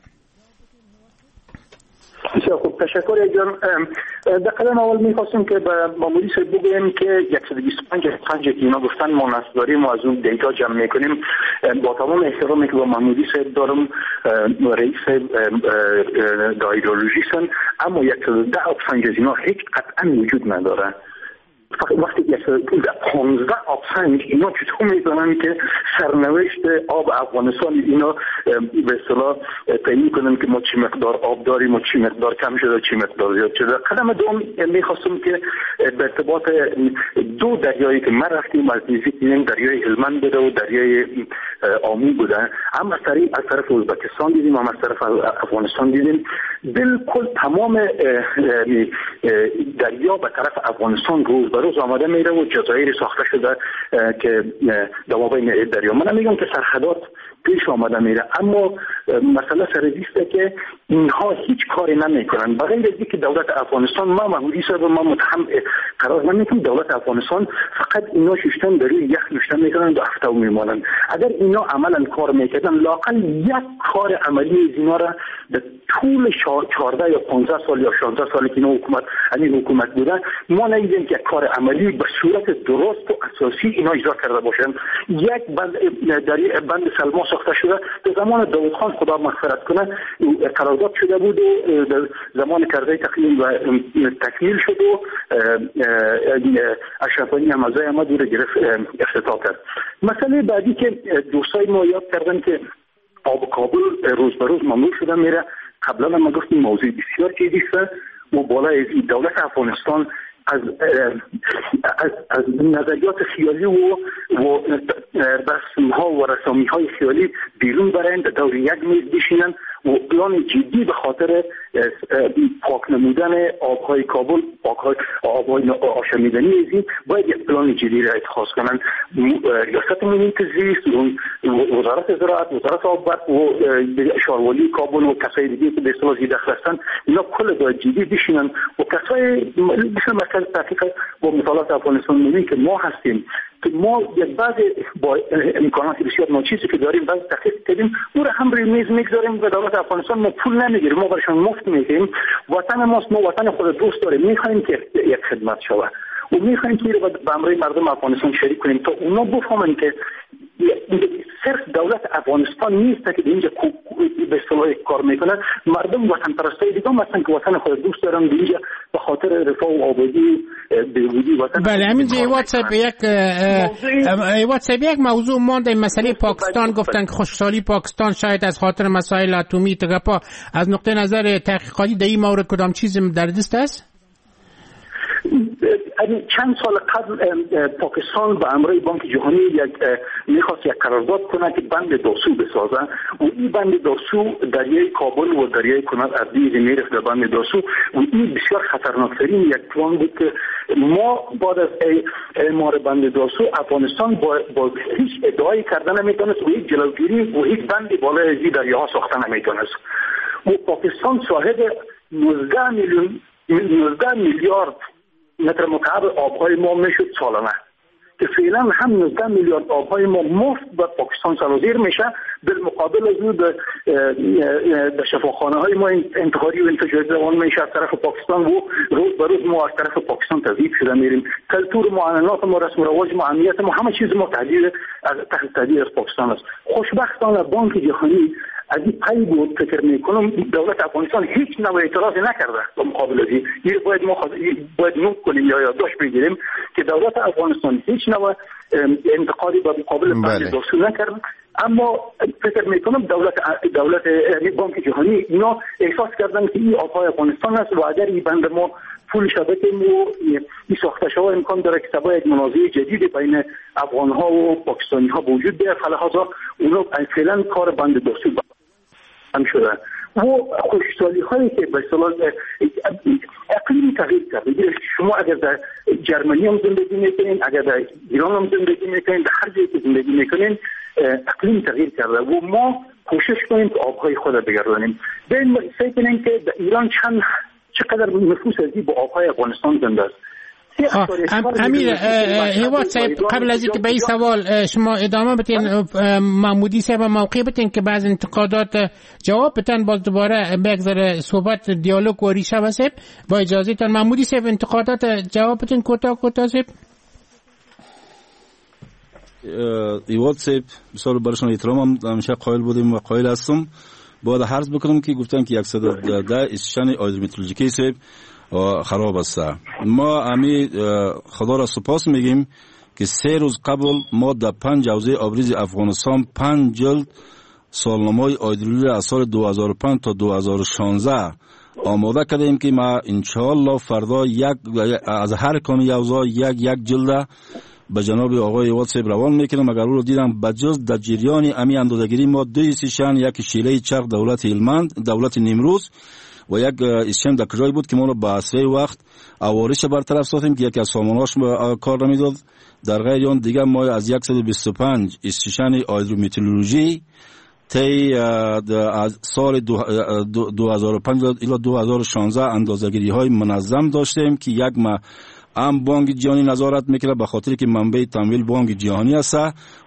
[SPEAKER 7] بسیار خوب، تشکر جان. در قدم اول میخواستم که به محمودی صاحب بگویم که صد و بیست و پنج پنج که اینا گفتن ما نصب داریم و از اون data جمع میکنیم، با تمام احترامی که با محمودی صاحب دارم، رئیس صاحب دایرولوژیستن، اما صد و ده پنج از اینا هیچ قطعا وجود نداره. وقتی پانزده آب سنج اینا چطور میتونن که سرنوشت آب افغانستان اینا به اصطلاح تعیین کنن که ما چی مقدار آب داریم و چی مقدار کم شده چی مقدار زیاد شده. قدم دوم میخواستم که به ارتباط دو دریایی که ما رفتیم از نزدیک دیدیم، دریای هلمند بوده و دریای آمو بوده، هم از طریق از طرف ازبکستان دیدیم هم از طرف افغانستان دیدیم. بالکل تمام دریا به طرف افغانستان روز به روز آماده میره و جزایر ساخته شده که دوابین دریا. من میگم که سرحدات پیش آمده میره، اما مسئله سر است که اینها هیچ کاری نمیکنن بغیر از اینکه دولت افغانستان، ما محمودی صاحب ما متهم قرار نمیتیم، دولت افغانستان فقط اینا ششتن در روی یخ نشتن میکنن و هفته میمانن. اگر اینا عملا کار میکردن لااقل یک کار عملی از اینا را در طول چهارده یا پانزده سال یا شانزده سال که اینا حکومت همین حکومت بودن ما ندیدیم که کار عملی به صورت درست و اساسی اینا اجرا کرده باشن. یک بند در بند سلما ساخته شده در زمان داوود خان، خدا مغفرت کنه، قرارداد شده بود و در زمان کرزی تقییم و تکمیل شد و اشرف غنی هم از آمد و گرفت افتتاح کرد. مسئله بعدی که دوستای ما یاد کردن که آب کابل روز به روز ممنوع شده میره، قبلا ما گفتیم موضوع بسیار جدی است و بالای دولت افغانستان از از از نظریات خیالی و و رسم‌ها و رسامی‌های خیالی بیرون برند، دور یک میز بشینن و پلان جدی به خاطر پاک نمودن آب‌های کابل، پاک‌های آب‌های آشامیدنی ازین باید یک پلان جدی را اتخاذ کنند. ریاست محیط زیست، وزارت زراعت، وزارت آب برق و شاروالی کابل و کسای دیگه که به اصطلاح ذی‌دخل هستند، اینا کل باید جدی بشینن و کسای مثل مرکز تحقیق و مطالعات افغانستان نوین که ما هستیم که ما یک بعض با امکانات بسیار ناچیزی که داریم بعض تحقیق کردیم، او را هم روی میز میگذاریم و دولت افغانستان ما پول نمیگیریم، ما برشان مفت میگیریم. وطن ماست، ما وطن خود دوست داریم، میخوایم که یک خدمت شود و میخوایم که به امر مردم افغانستان شریک کنیم تا اونا بفهمند که صرف دولت افغانستان نیست که اینجا به اصطلاح کار میکنه، مردم وطن پرستای دیگه هم هستن که وطن خود دوست دارن، اینجا به خاطر رفاه و آبادی بهبودی وطن.
[SPEAKER 4] بله همینجا واتساپ یک واتساپ یک موضوع مانده، مسئله پاکستان. گفتن که خشکسالی پاکستان شاید از خاطر مسائل اتمی تگپا، از نقطه نظر تحقیقاتی در این مورد کدام چیز در دست است؟
[SPEAKER 7] چند سال قبل پاکستان به امر بانک جهانی یک میخواست یک قرارداد کنه که بند داسو بسازه و این بند داسو دریای کابل و دریای کنر از دیز میرفت در بند داسو و این بسیار خطرناکترین یک پلان بود که ما بعد از اعمار بند داسو افغانستان با, با هیچ ادعایی کرده نمیتونست و هیچ جلوگیری و هیچ بند بالای از این دریاها ساخته نمیتونست و پاکستان صاحب نوزده میلیون نوزده میلیارد متر مکعب آبهای ما میشد سالانه که فعلا هم نوزده میلیارد آبهای ما مفت به پاکستان سرازیر میشه، بالمقابل از او به شفاخانه های ما انتحاری و انفجاری روان میشه از طرف پاکستان و روز به روز ما از طرف پاکستان تضعیف شده میریم. کلتور ما، عنعنات ما، رسم و رواج ما، امنیت ما، همه چیز ما تهدید از تحت تهدید از پاکستان است. خوشبختانه بانک جهانی از این پی بود، فکر میکنم دولت افغانستان هیچ نوع اعتراضی نکرده به مقابل از این. باید ما باید نوت کنیم یا یادداشت بگیریم که دولت افغانستان هیچ نوع انتقادی به مقابل بند داسو نکرده، اما فکر میکنم دولت دولت بانک جهانی اینا احساس کردن که این آبهای افغانستان است و اگر این بند ما پول شبکه و این ساخته شوه امکان داره که سبا یک منازعه جدید بین افغان ها و پاکستانی ها به وجود بیاد. فلهذا اونا فعلا کار بند داسو هم شده و خشکسالی هایی که به اصطلاح اقلیم تغییر کرده. شما اگر در جرمنی هم زندگی میکنین، اگر در ایران هم زندگی میکنین، در هر جایی که زندگی میکنین اقلیم تغییر کرده و ما کوشش کنیم که آبهای خود را بگردانیم. ببین فکر کنین که در ایران چند چقدر نفوس از با آبهای افغانستان زنده است.
[SPEAKER 4] امیر هیواد صاحب، قبل از اینکه به این سوال شما ادامه بتین، محمودی صاحب موقع بتین که بعض انتقادات جواب بتن، باز دوباره بگذره صحبت دیالوگ و ریشه واسه با اجازه تان. محمودی صاحب انتقادات جواب بتین کوتاه کوتاه صاحب.
[SPEAKER 8] هیواد صاحب بسیار برشان احترام همیشه قائل بودیم و قائل هستم. باید عرض بکنم که گفتن که صد و ده استشن هیدرومترولوژیکی صاحب خراب است. ما امی خدا را سپاس میگیم که سه روز قبل ما در پنج حوزه آبریز افغانستان پنج جلد سالنامه هیدرولوژی از سال دو هزار و پنج تا دو هزار و شانزده آماده کردیم که ما انشاءالله فردا یک از هر کامی حوزه یک یک جلد به جناب آقای هیواد صاحب روان میکنم. اگر او رو دیدم بجز در جریان امی اندازه‌گیری ما دو استیشن، یک شیله چرخ دولت هلمند دولت نیمروز و یک استیشن در کجای بود که ما رو به اسرع وقت عوارض برطرف ساختیم که یکی از سامانهاش کار نمیداد. در غیر آن دیگه ما از صد و بیست و پنج استیشن هیدرومترولوژی طی از سال دو هزار و پنج الی دو هزار و شانزده اندازه‌گیری های منظم داشتیم که یک ما هم بانک جهانی نظارت میکنه به خاطر که منبع تمویل بانک جهانی است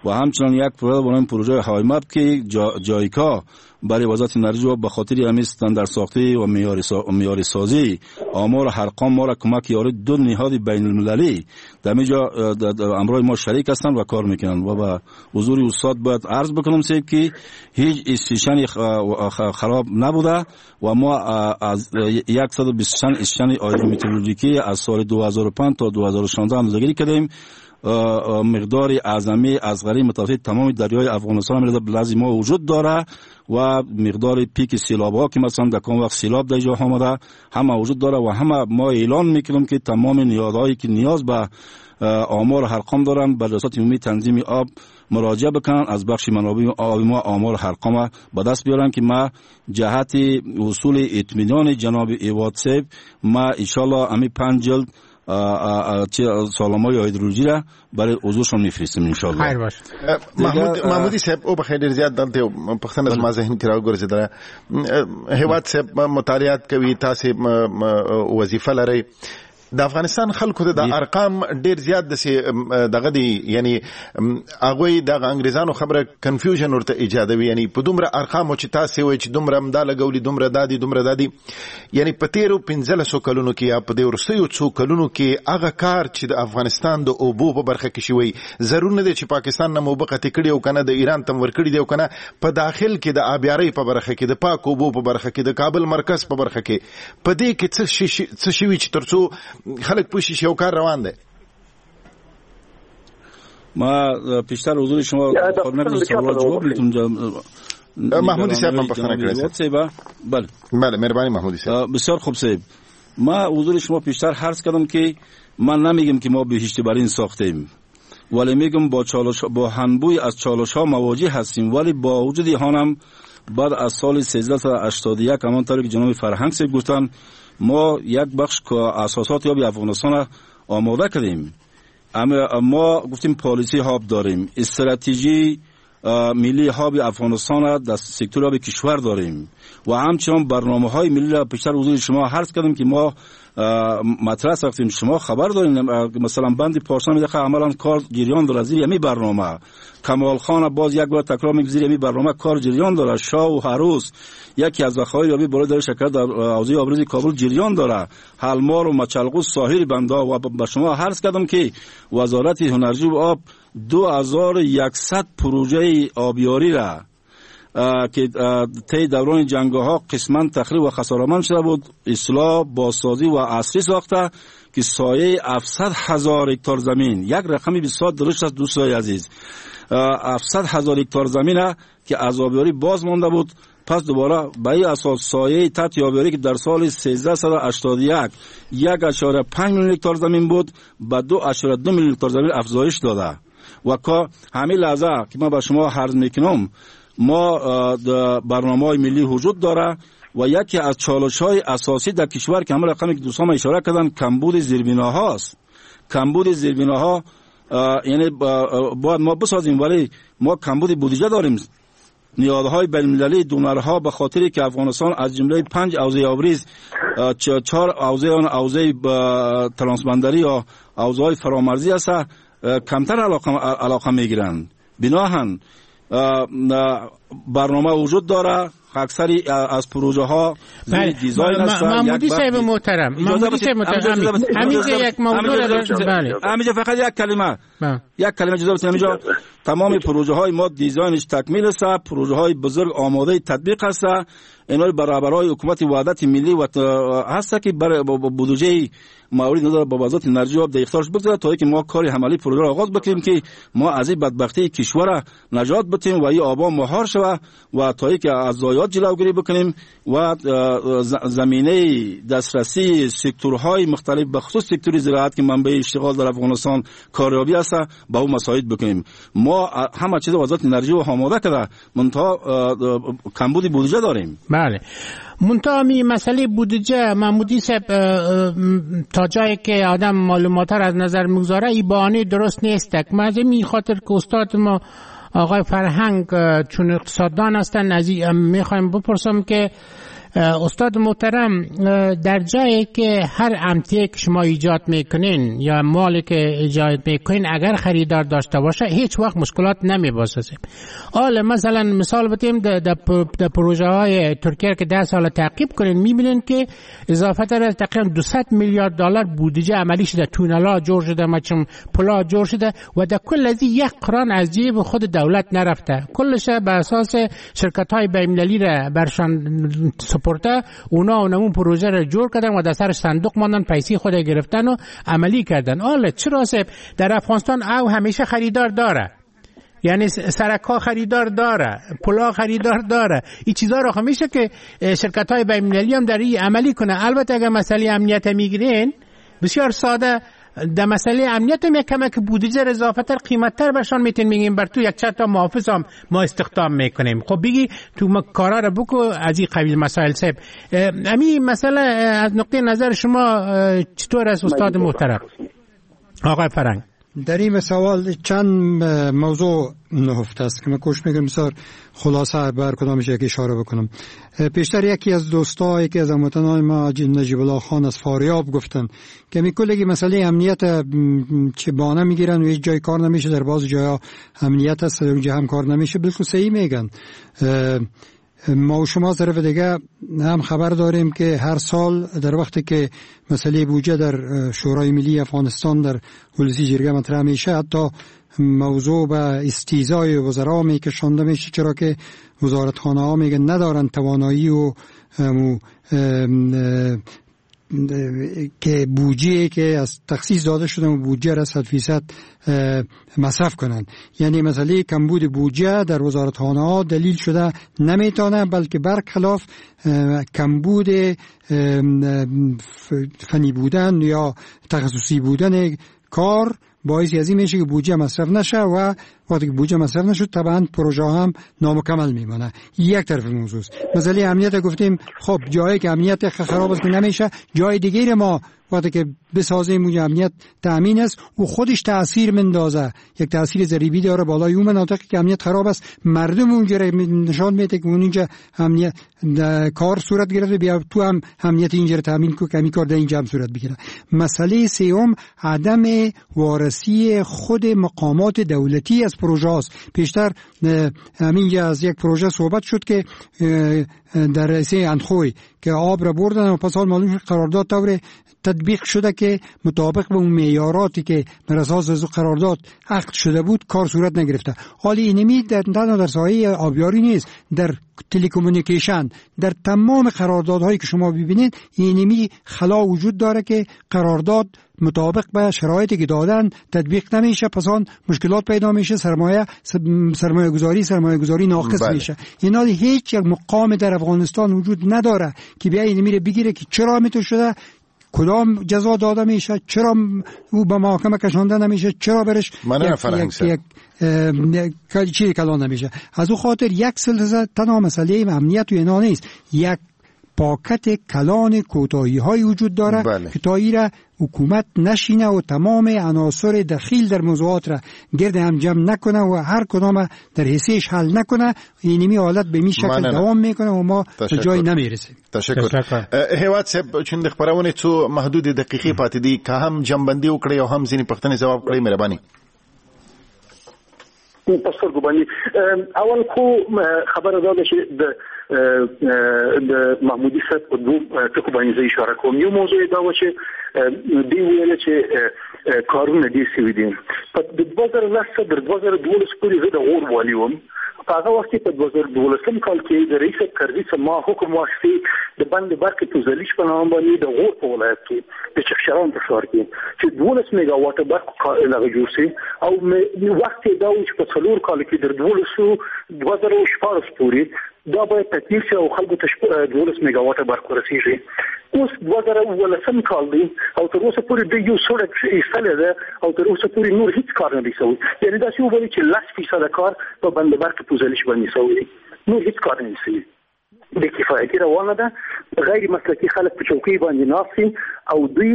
[SPEAKER 8] و همچنان یک پروژه به نام پروژه هایمپ که جا جایکا برای وزارت انرژی و به خاطر همین استاندارد ساختی و معیار معیار سازی آمار ارقام ما را کمک یاری دو نهاد بین المللی در اینجا امرای ما شریک هستند و کار میکنند. و به حضور استاد باید عرض بکنم سیب که هیچ استیشن خراب نبوده و ما از صد و بیست و چند استیشن هیدرومترولوژیکی از سال دو هزار و پنج تا دو هزار و شانزده اندازه‌گیری کردیم. مقدار اعظمی از غری متوسط تمام دریای افغانستان میرسه به لحظه ما وجود داره و مقدار پیک سیلاب ها که مثلا در کام وقت سیلاب در جا آمده همه وجود داره و همه ما اعلان میکنیم که تمام نیازهایی که نیاز به آمار ارقام دارن به ریاست عمومی تنظیم آب مراجعه بکنن، از بخش منابع آب ما آمار ارقام به دست بیارن که ما جهت وصول اطمینان جناب هیواد صاحب ما ان شاء الله امی پنج جلد سالمای هیدرولوژی را برای حضورشون میفرستیم ان شاء الله.
[SPEAKER 4] خیر باش.
[SPEAKER 6] محمود محمودی صاحب او بخیر ډیر زیات دلته پښتنه زما ذهن کې راوګرځیدله. هیواد صاحب مطالعات کوي، تاسو وظیفه لرئ، د افغانستان خلکو ته د ارقام ډیر زیات د دغه دی، یعنی هغه د انګریزانو خبره کنفیوژن ورته ایجادوي، یعنی په دومره ارقامو چې تاسو وایئ چې دومره امدا لګولي، دومره دادی دومره دادی، یعنی په تیرو پنځلسو کلونو کې یا په دې وروستیو څو کلونو کې هغه کار چې د افغانستان د اوبو په برخه کې شوی، ضرور نه دی چې پاکستان نه مو قطع کړي او کنه د ایران تم ورکړي دی او کنه په داخل کې د آبیارۍ په برخه کې، د پاک اوبو په برخه کې، د کابل مرکز په برخه کې، په دې کې څه څه شوي چې ترڅو خلک پوه شي چې یو کار روان دی؟
[SPEAKER 8] ما پیشتر حضور شما خب جواب میتونم.
[SPEAKER 6] محمودی صاحب من پوښتنه کړې.
[SPEAKER 8] بله
[SPEAKER 6] بله مهربانی محمودی صاحب.
[SPEAKER 8] بسیار خوب صاحب، ما حضور شما پیشتر عرض کردم که من نمیگم که ما بهشت برین ساختیم، ولی میگم با چالش با هنبوی از چالش ها مواجه هستیم، ولی با وجود هم بعد از سال سیزده هشتاد و یک همانطور که جناب فرهنگ صاحب گفتن ما یک بخش که اساسات آب افغانستان آماده کردیم. اما ما گفتیم پالیسی آب داریم، استراتژی ملی آب افغانستان در سکتور آب کشور داریم و همچنان برنامه های ملی را پیشتر حضور شما عرض کردیم که ما مطرح ساختیم. شما خبر دارین مثلا بند پارسان میده عملا کار جریان داره زیر همی برنامه، کمال خان باز یک بار تکرار میگه زیر همی برنامه کار جریان داره، شاه و هروس یکی از ذخایر آبی بالای دره شکر در حوزه آبریز کابل جریان داره، حلمار و مچلغوز ساحل بندا. و به شما عرض کردم که وزارت انرژی و آب دو هزار و یکصد پروژه آبیاری را که طی دوران جنگ‌ها قسما تخریب و خسارمند شده بود اصلاح، بازسازی و عصری ساخته که سایه هفتصد هزار هکتار زمین، یک رقمی بسیار درشت است دوستای عزیز، هفتصد هزار هکتار زمین که از آبیاری باز مانده بود، پس دوباره به این اساس سایه تحت آبیاری که در سال سیزده هشتاد و یک یک اعشاریه پنج میلیون هکتار زمین بود به دو اعشاریه دو میلیون هکتار زمین افزایش داده. و که همین لحظه که من به شما عرض میکنم ما برنامه ملی وجود داره و یکی از چالش های اساسی در کشور که همه رقمی که دوستان اشاره کردن کمبود زیربناهاست. کمبود زیربناها یعنی باید ما بسازیم، ولی ما کمبود بودجه داریم. نیادهای بین‌المللی دونرها به خاطر که افغانستان از جمله پنج حوزه آبریز چهار حوزه آن حوزه ترانسبندری یا حوزه‌های فرامرزی است کمتر علاقه علاقه میگیرند. بناهن برنامه وجود داره، اکثری از پروژه ها زیر دیزاین است.
[SPEAKER 4] محمودی صاحب محترم، محمودی صاحب محترم، همینجا یک موضوع داشت. بله
[SPEAKER 8] همینجا فقط یک کلمه، یک کلمه اجازه بدید. همینجا تمام پروژه های ما دیزاینش تکمیل است، پروژه های بزرگ آماده تطبیق است. اینا برابرای حکومت وحدت ملی و هست که برای بودجه مورد نظر با وزارت انرژی آب در اختیارش بگذاره تا اینکه ما کار عملی پروژه را آغاز بکنیم که ما از این بدبختی کشور نجات بدیم و این آبا مهار شود و تا اینکه از ضایعات جلوگیری بکنیم و زمینه دسترسی سکتورهای مختلف به خصوص سکتور زراعت که منبع اشتغال در افغانستان کاریابی است با او مساعد بکنیم. ما همه چیز وزارت انرژی و آماده کرده، منتها کمبود بودجه داریم.
[SPEAKER 4] بله منتها می مسئله بودجه محمودی صاحب تا جایی که آدم معلومات را از نظر میگذاره این بهانه درست نیست. ما از این خاطر که استاد ما آقای فرهنگ چون اقتصاددان هستند از میخوایم بپرسم که استاد محترم در جایی که هر امتیه که شما ایجاد میکنین یا مالی که ایجاد میکنین اگر خریدار داشته باشه هیچ وقت مشکلات نمیباشه. حالا مثلا مثال بدیم در پروژه های ترکیه که ده سال تعقیب کنین میبینین که اضافه تر از تقریبا دویست میلیارد دلار بودجه عملی شده، تونلا جور شده، مچم پلا جور شده و در کل از یک قران از جیب خود دولت نرفته، کلش به اساس شرکت های بین‌المللی را برشان سپرده، اونا اونمون پروژه را جور کردن و در سر صندوق ماندن، پیسې خود گرفتن و عملی کردن. حالا چرا صاحب در افغانستان او همیشه خریدار داره، یعنی سرکا خریدار داره، پلا خریدار داره، این چیزا رو میشه که شرکت های بین‌المللی هم در این عملی کنه. البته اگر مسئله امنیت میگیرین بسیار ساده، در مسئله امنیت هم یک کمک بودجه اضافه تر قیمت تر برشان میتین، میگیم بر تو یک چند تا محافظ هم ما استخدام میکنیم، خب بگی تو کارا رو بکو از این قبیل مسائل. صاحب امی مسئله از نقطه نظر شما چطور است استاد محترم آقای فرهنگ؟
[SPEAKER 5] در این سوال چند موضوع نهفته است که من کوشش میکنم بسیار خلاصه بر کدامش یک اشاره بکنم. پیشتر یکی از دوستا، یکی از هموطنان ما، نجیب الله خان از فاریاب گفتن که میکلگی مسئله امنیت چه بانه میگیرن و هیچ جای کار نمیشه، در بعض جایا امنیت است اونجا هم کار نمیشه. بالکل صحیح میگن. ما و شما طرف دیگه هم خبر داریم که هر سال در وقتی که مسئله بودجه در شورای ملی افغانستان در ولسی جرگه مطرح میشه، حتی موضوع به استیضاح وزرا میکشانده میشه، چرا که وزارتخانه ها میگن ندارن توانایی و که بودجه که از تخصیص داده شده و بودجه را صد فیصد مصرف کنند. یعنی مسئله کمبود بودجه در وزارتخانه ها دلیل شده نمیتونه، بلکه برخلاف کمبود فنی بودن یا تخصصی بودن کار باعث از این میشه که بودجه مصرف نشه و وقتی که بودجه مصرف نشد طبعا پروژه هم نامکمل میمانه. یک طرف موضوع است. مسئله امنیت گفتیم، خب جایی که امنیت خراب است که نمیشه، جای دیگه ما وقتی که بسازیم اونجا امنیت تأمین است و خودش تأثیر مندازه، یک تأثیر ضریبی داره بالای اون مناطقی که امنیت خراب است، مردم اونجا را نشان میده که اونجا امنیت کار صورت گرفته، بیا تو هم امنیت اینجا را تأمین کن که همین کار در اینجا هم صورت بگیره. مسئله سوم عدم وارسی خود مقامات دولتی از پروژه است. پیشتر همینجا از یک پروژه صحبت شد که در رئیسه اندخوی که آب را بردن و پس حال معلوم شد قرارداد طور تطبیق شده که مطابق به اون معیاراتی که بر اساس از قرارداد عقد شده بود کار صورت نگرفته. حالی اینمی در تنها در ساحه آبیاری نیست، در telecommunication، در تمام قراردادهایی که شما ببینید اینمی خلا وجود داره که قرارداد مطابق به شرایطی که دادن تطبیق نمیشه، پس آن مشکلات پیدا میشه، سرمایه سرمایه گذاری سرمایه گذاری ناقص بله. میشه. اینا هیچ یک مقام در افغانستان وجود نداره که بیا این میره بگیره که چرا میتو شده، کدام جزا داده میشه، چرا او به محاکمه کشانده نمیشه، چرا برش یک یک یک چیز کلان نمیشه. از او خاطر یک سلسله تنها مسئله امنیت و اینا نیست، یک پاکت کلان کوتاهی های وجود داره بله. که تا ایره حکومت نشینه و تمام عناصر دخیل در موضوعات را گرد هم جمع نکنه و هر کدام در حصهش حل نکنه، اینمی حالت به می شکل دوام میکنه و ما به جای نمیرسیم.
[SPEAKER 6] تشکر. هیواد صاحب چون د خبرونه څو محدود دقیقې پاتې دي، که هم جنبندي وکړي او هم ځینې پوښتنې ځواب کړئ مهرباني.
[SPEAKER 7] په سترګو باندې اول خو خبره دا ده چې د د محمودي صاحب په دوو ټکو باندې زه اشاره کوم. یو موضوع دا و چې دوی ویل چې کارونه ډېر سوي دي. په دوه زره لس تر دوه زره دولس پورې زه د غور والي وم. په هغه وخت کې په دوه زره دولسم کال کې د رئیس کرزي څخه ما حکم واخیست د بند برق پوزلیش په نام باندې د غور په ولایت کې د چخشران په ښار کې چې دولس میګاواټه برق هغه جوړ شي، او وخت یې دا و چې په څلور کال کې در دولسو دوه زره شپاړس پورې دا باید تطبیق شي او خلکو ته دولس میګاواټه برق ورسیږي. اوس دوه زره اوولسم کال دی او تر اوسه پورې دوی یو سړک ایستلی ده او تر اوسه پورې نور هیڅ کار نه دی شوی. یعنې داسې وبولي چې لس فیصده کار په بند برق پوزلیش باندې شوی دی، نور هیڅ کار نه دی شوی. بې کفایتي روانه ده، غیر مسلکي خلک په چوکۍ باندې ناست دي او دوی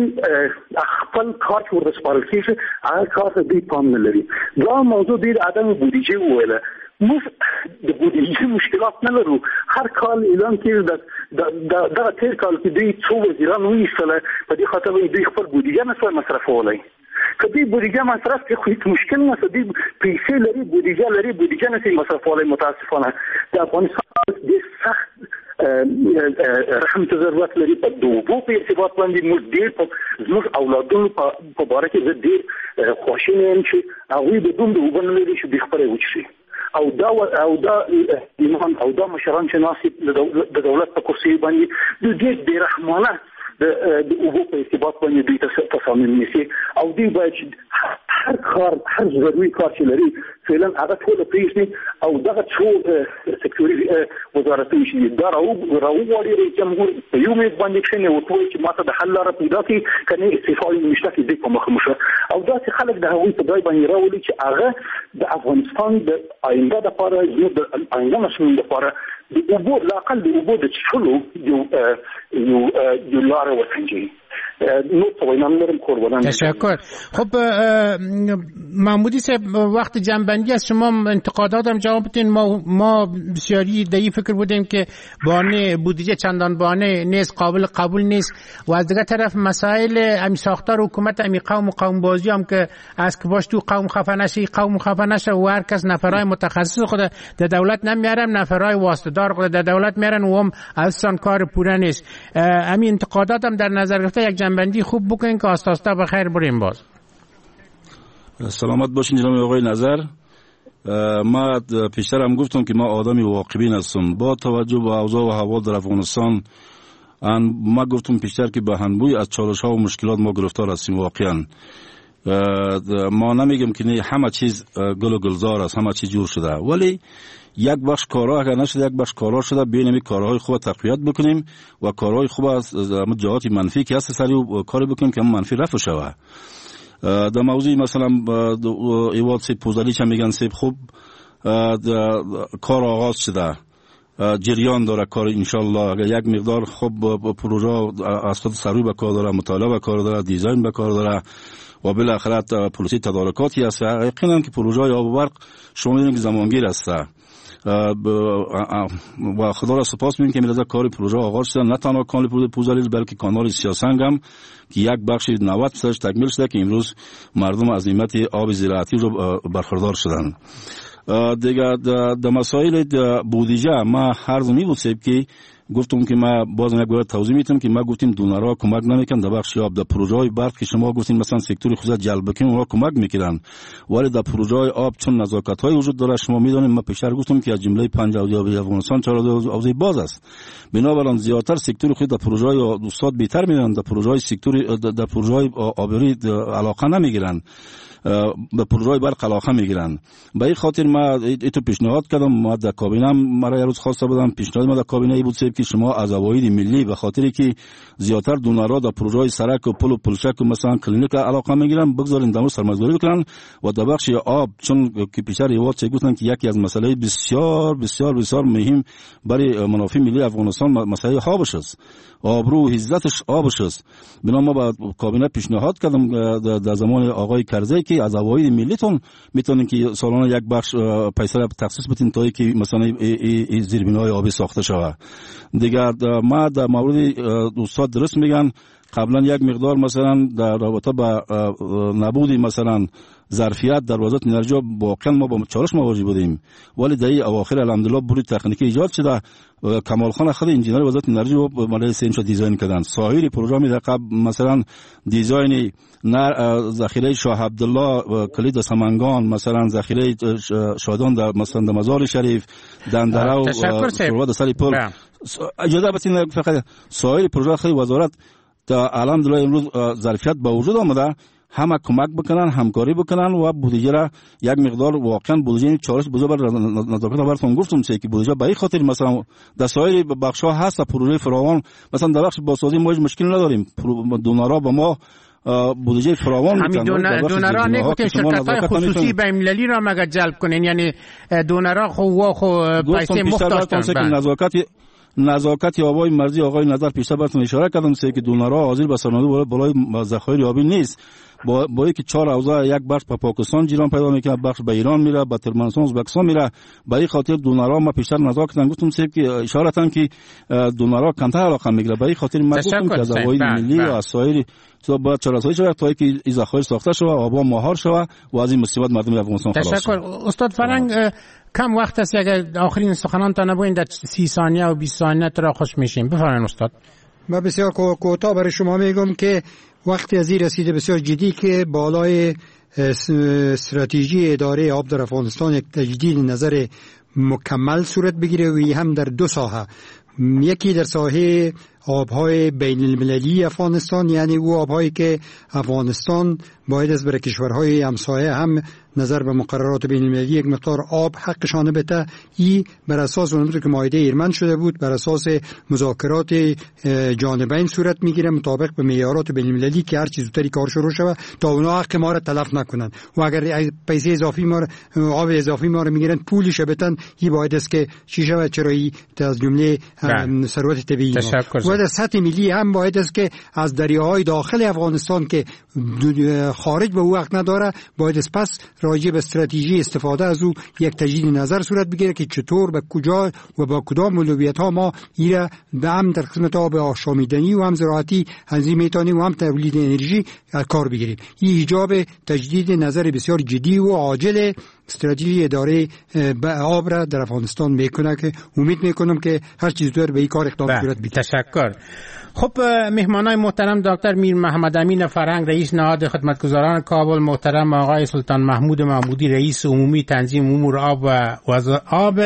[SPEAKER 7] خپل کار چې ورته سپارل کېږي هغه کار ته دوی پام نه لري. دا موضوع دوی د عدم بودیجې وویله. موږ د بودیجې مشکلات نه لرو، هر کال اعلان کېږي. دغه تېر کال کې دوی څو وزیران وایستله په دې خاطر باندې دوی خپل بودیجه نه سوای مصرفولی. که دوی بودیجه مصرف کړي خو هیڅ مشکل نشته، دوی پیسې لري، بودیجه لري، بودیجه نه سي مصرفولی. متاسفانه د افغانستان ډېر سخت رحم ته ضرورت لري. په د اوبو په ارتباط باندې موږ ډېر زموږ اولادونو په باره کې زه ډېر خواشینی یم چې هغوی به دومره اوبه نه لري چې دوی خپله وڅښي. او دا او دا ایمان او دا مشران چې ناست د دولت په کرسي باندې دوی ډېر بېرحمانه د اوبو په ارتباط باندې دوی تصامیم نیسي او دوی باید هر کار هر ضروري کار چې لري فعلا هغه ټول پرېږدي او دغه څو سکتوري وزارتونه چې دا راوغواړي رئیس جمهور په یو میز باندې کښېني ورته ووایي چې ماته د حل لاره پیدا کړي، که نه استعفا یې نشته کې دوی په مخه مشه. او داسې خلک د هغوی په ځای باندې راولي چې هغه د افغانستان د آینده دپاره، زموږ د آینده نسلونو دپاره د اوبو لاقل د اوبو د څښلو یو یو یو لاره وسنجوي. نور توانم دارم قربانم.
[SPEAKER 4] تشکر. خب محمودی صاحب، وقت جنبندی از شما انتقادات هم جواب بدین. ما ما بسیاری در این فکر بودیم که بانه بودجه چندان بانه نیست، قابل قبول نیست، و از دیگر طرف مسائل امی ساختار حکومت، امی قوم و قوم بازی هم که از که باش تو قوم خفه نشه، قوم خفه نشه و هر کس نفرای متخصص خود در دولت نمیارن، نفرای واسطه دار خود در دولت میارن و هم اصلا کار پوره نیست. امی انتقادات هم در نظر گرفته یک جنبندی خوب بکنین که آستا آستا بخیر بریم. باز
[SPEAKER 8] سلامت باشین جناب آقای نظر. ما پیشتر هم گفتم که ما آدمی واقع‌بین هستم. با توجه به اوضاع و احوال در افغانستان، ما گفتم پیشتر که به هنبوی از چالش ها و مشکلات ما گرفتار هستیم. واقعا ما نمیگم که نه همه چیز گل و گلزار است، همه چیز جور شده، ولی یک بخش کارها اگر نشده یک بخش کارها شده. بیایم این کارهای خوب تقویت بکنیم و کارهای خوب از جهات منفی که هست سری کاری بکنیم که منفی رفع شود. در موضوع مثلا ایواد سیب پوزالی چه میگن سیب خوب کار آغاز شده، جریان داره کار انشالله. اگر یک مقدار خوب پروژه از خود سروی به کار داره، مطالعه به کار داره، دیزاین به کار داره و بالاخره پروسه تدارکاتی هست. یقینا که پروژه آب و برق شما میدونید که زمانگیر است و خدا را سپاس می‌کنیم که میرزا کار پروژه آغاز شده. نه تنها کانال پوزالیل بلکه کانال سیاسنگ هم که یک بخش نود درصدش تکمیل شده که امروز مردم از نعمت آب زراعتی رو برخوردار شدن. دیگه در مسائل بودجه ما هر زمی بود که گفتم که ما باز یک بار توضیح میتم که ما گفتیم دونرها کمک نمیکنن در بخش آب. در پروژه های برق که شما گفتین مثلا سکتور خصوصی جلب بکنیم اونها کمک میکردن، ولی در پروژه های آب چون نزاکت های وجود داره، شما میدونید ما پیشتر گفتم که از جمله پنج حوزه آبی افغانستان چهار حوزه باز است. بنابراین زیادتر سکتور خود در پروژه های استاد بهتر میدونن، در پروژه های سکتور در پروژه های آبی علاقه نمیگیرن، به پروژه برق علاقه میگیرن. به این خاطر ما ایتو پیشنهاد کردم، ما در کابینه مرا یه روز خواسته بودم، پیشنهاد ما در کابینه ای بود که شما از عواید ملی به خاطری که زیادتر دونرها در پروژه های سرک و پل و پلچک و مثلا کلینیک علاقه میگیرن بگذارین دمو سرمایه‌گذاری بکنن و در بخش آب، چون که پیشتر ایواد چه گفتن که یکی از مسئله بسیار بسیار بسیار مهم برای منافع ملی افغانستان مسئله آبش است، آبرو و عزتش آبش است. بنا ما با کابینه پیشنهاد کردم در زمان آقای کرزی که از عواید ملیتون میتونین که سالانه یک بخش پیسه را تخصیص بدین تا که مثلا زیربنای آبی ساخته شود. دیگر ما در مورد استاد درست میگن، قبلا یک مقدار مثلا در رابطه با نبود مثلا ظرفیت در وزارت انرژی واقعا ما با چالش مواجه بودیم، ولی در این اواخر الحمدلله بروی تکنیکی ایجاد شده. کمال خان خود انجینر وزارت انرژی و مال سیم شد دیزاین کردن. سایر پروژه می در قبل مثلا دیزاین ذخیره شاه عبدالله کلید سمنگان، مثلا ذخیره شادان در مثلا در مزار شریف دندره و سرواد سری پل. اجازه بدین فقط سایر پروژه خود وزارت تا الحمدلله امروز ظرفیت به وجود آمده، همه کمک بکنن، همکاری بکنن و بودجه را یک مقدار واقعا بودجه چالش بزرگ بر نزاکت براتون گفتم چه که بودجه به این خاطر مثلا در سایر بخش ها هست پروژه فراوان، مثلا در بخش بازسازی ما هیچ مشکل نداریم، دونرها با ما بودجه فراوان
[SPEAKER 4] میتن. همین دونرها نگفتین شرکت های خصوصی بین المللی را مگر جلب کنین، یعنی دونرها خو خو پیسه مفت داشتن.
[SPEAKER 8] نزاکت نزاکت آبای مرزی آقای نظر پیشتر براتون اشاره کردم سه که دونرها حاضر به سرمایه بالای ذخایر آبی نیست. با با اینکه چهار حوزه یک بخش به پاکستان جیران پیدا میکنه، بخش به ایران میره، به ترکمنستان ازبکستان میره. به این خاطر دونرها ما پیشتر نزاکت گفتم سه که اشارتن که دونرها کمتر علاقه میگیره. به این خاطر ما گفتم که از عواید ملی و از سایر چیزا باید چاره‌سازی شود تا اینکه این ذخایر ساخته شود، آبا مهار شود و از این مصیبت مردم افغانستان خلاص.
[SPEAKER 4] تشکر استاد فرنگ. کم وقت است، اگر آخرین سخنان تا نبوین در سی ثانیه و بیست ثانیه را خوش میشیم. بفرمایید استاد.
[SPEAKER 5] من بسیار کوتاه برای شما میگم که وقتی از این رسیده بسیار جدی که بالای استراتژی اداره آب در افغانستان یک تجدید نظر مکمل صورت بگیره و هم در دو ساحه، یکی در ساحه آبهای بین المللی افغانستان، یعنی او آبهایی که افغانستان باید از برای کشورهای همسایه هم نظر به مقررات بین المللی یک مقدار آب حقشان بده. ای بر اساس اون که معاهده ایرمن شده بود، بر اساس مذاکرات جانبین صورت میگیره مطابق به معیارات بین المللی که هر چیز زودتری کار شروع شود تا اونا حق ما را تلف نکنن و اگر پیسه اضافی ما آب اضافی ما را میگیرن پولش بدن. ای باید است که چی شود، چرا ای از جمله ثروت طبیعی ما. و در سطح ملی هم باید است که از دریاهای داخل افغانستان که خارج به او حق نداره، باید است پس راجع به استراتژی استفاده از او یک تجدید نظر صورت بگیره که چطور به کجا و با کدام اولویت ها ما ایره به هم در قسمت آب آشامیدنی و هم زراعتی هنزی میتونیم و هم تولید انرژی کار بگیریم. این ایجاب تجدید نظر بسیار جدی و عاجل استراتژی اداره آب را در افغانستان میکنه که امید میکنم که هر چیز زودتر به این کار اقدام صورت بگیره.
[SPEAKER 4] تشکر. خب مهمانای محترم دکتر میر محمد امین فرهنگ رئیس نهاد خدمتگزاران کابل، محترم آقای سلطان محمود محمودی رئیس عمومی تنظیم امور آب و وز... آب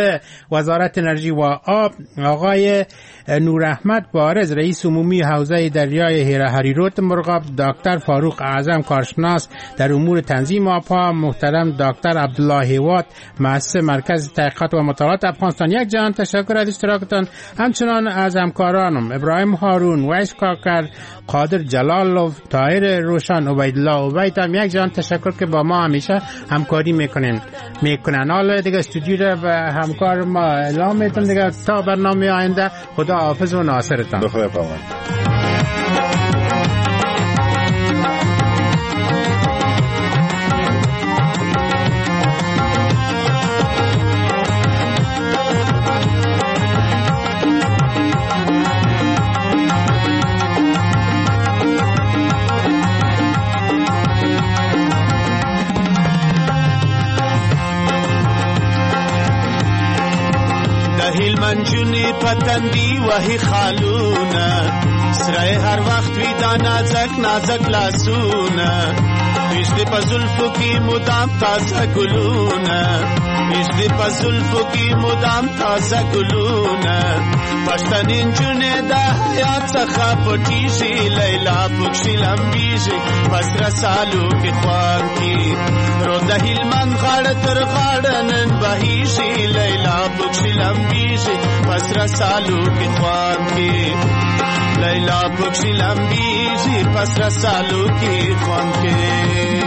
[SPEAKER 4] وزارت انرژی و آب، آقای نور احمد بارز رئیس عمومی حوزه دریای هریرود مرغاب، دکتر فاروق اعظم کارشناس در امور تنظیم آبها، محترم دکتر عبدالله هیواد مؤسس مرکز تحقیقات و مطالعات افغانستان. یک جهان تشکر از اشتراکتان. همچنان از همکارانم ابراهیم هارون، ویس کاکر، قادر جلالوف، طاهر روشن، عبیدالله عبید هم یک جهان تشکر که با ما همیشه همکاری میکنن میکنن. حالا دیگه استودیو را به همکار ما اعلام میتون دیگه تا برنامه آینده. خدا حافظ و ناصرتان.
[SPEAKER 6] خدا پامان.
[SPEAKER 13] پتندی وهی خالونه سره هر وخت وی دا نازک نازک لاسونه ویش په زلفو کې مدام تازه ګلونه ویش په زلفو کې مدام تازه ګلونه پښتنې نجونې د حیا څخه پټیږي لیلا پکښې لمبیږي په سره سالو کې خوان کې رو د هلمند غاړه تر غاړه نن بهیږي لیلا پکښې لمبیږي په سره سالو کې خوان کې لیلا پکښې لمبیږي په سره سالو کې خوان کې.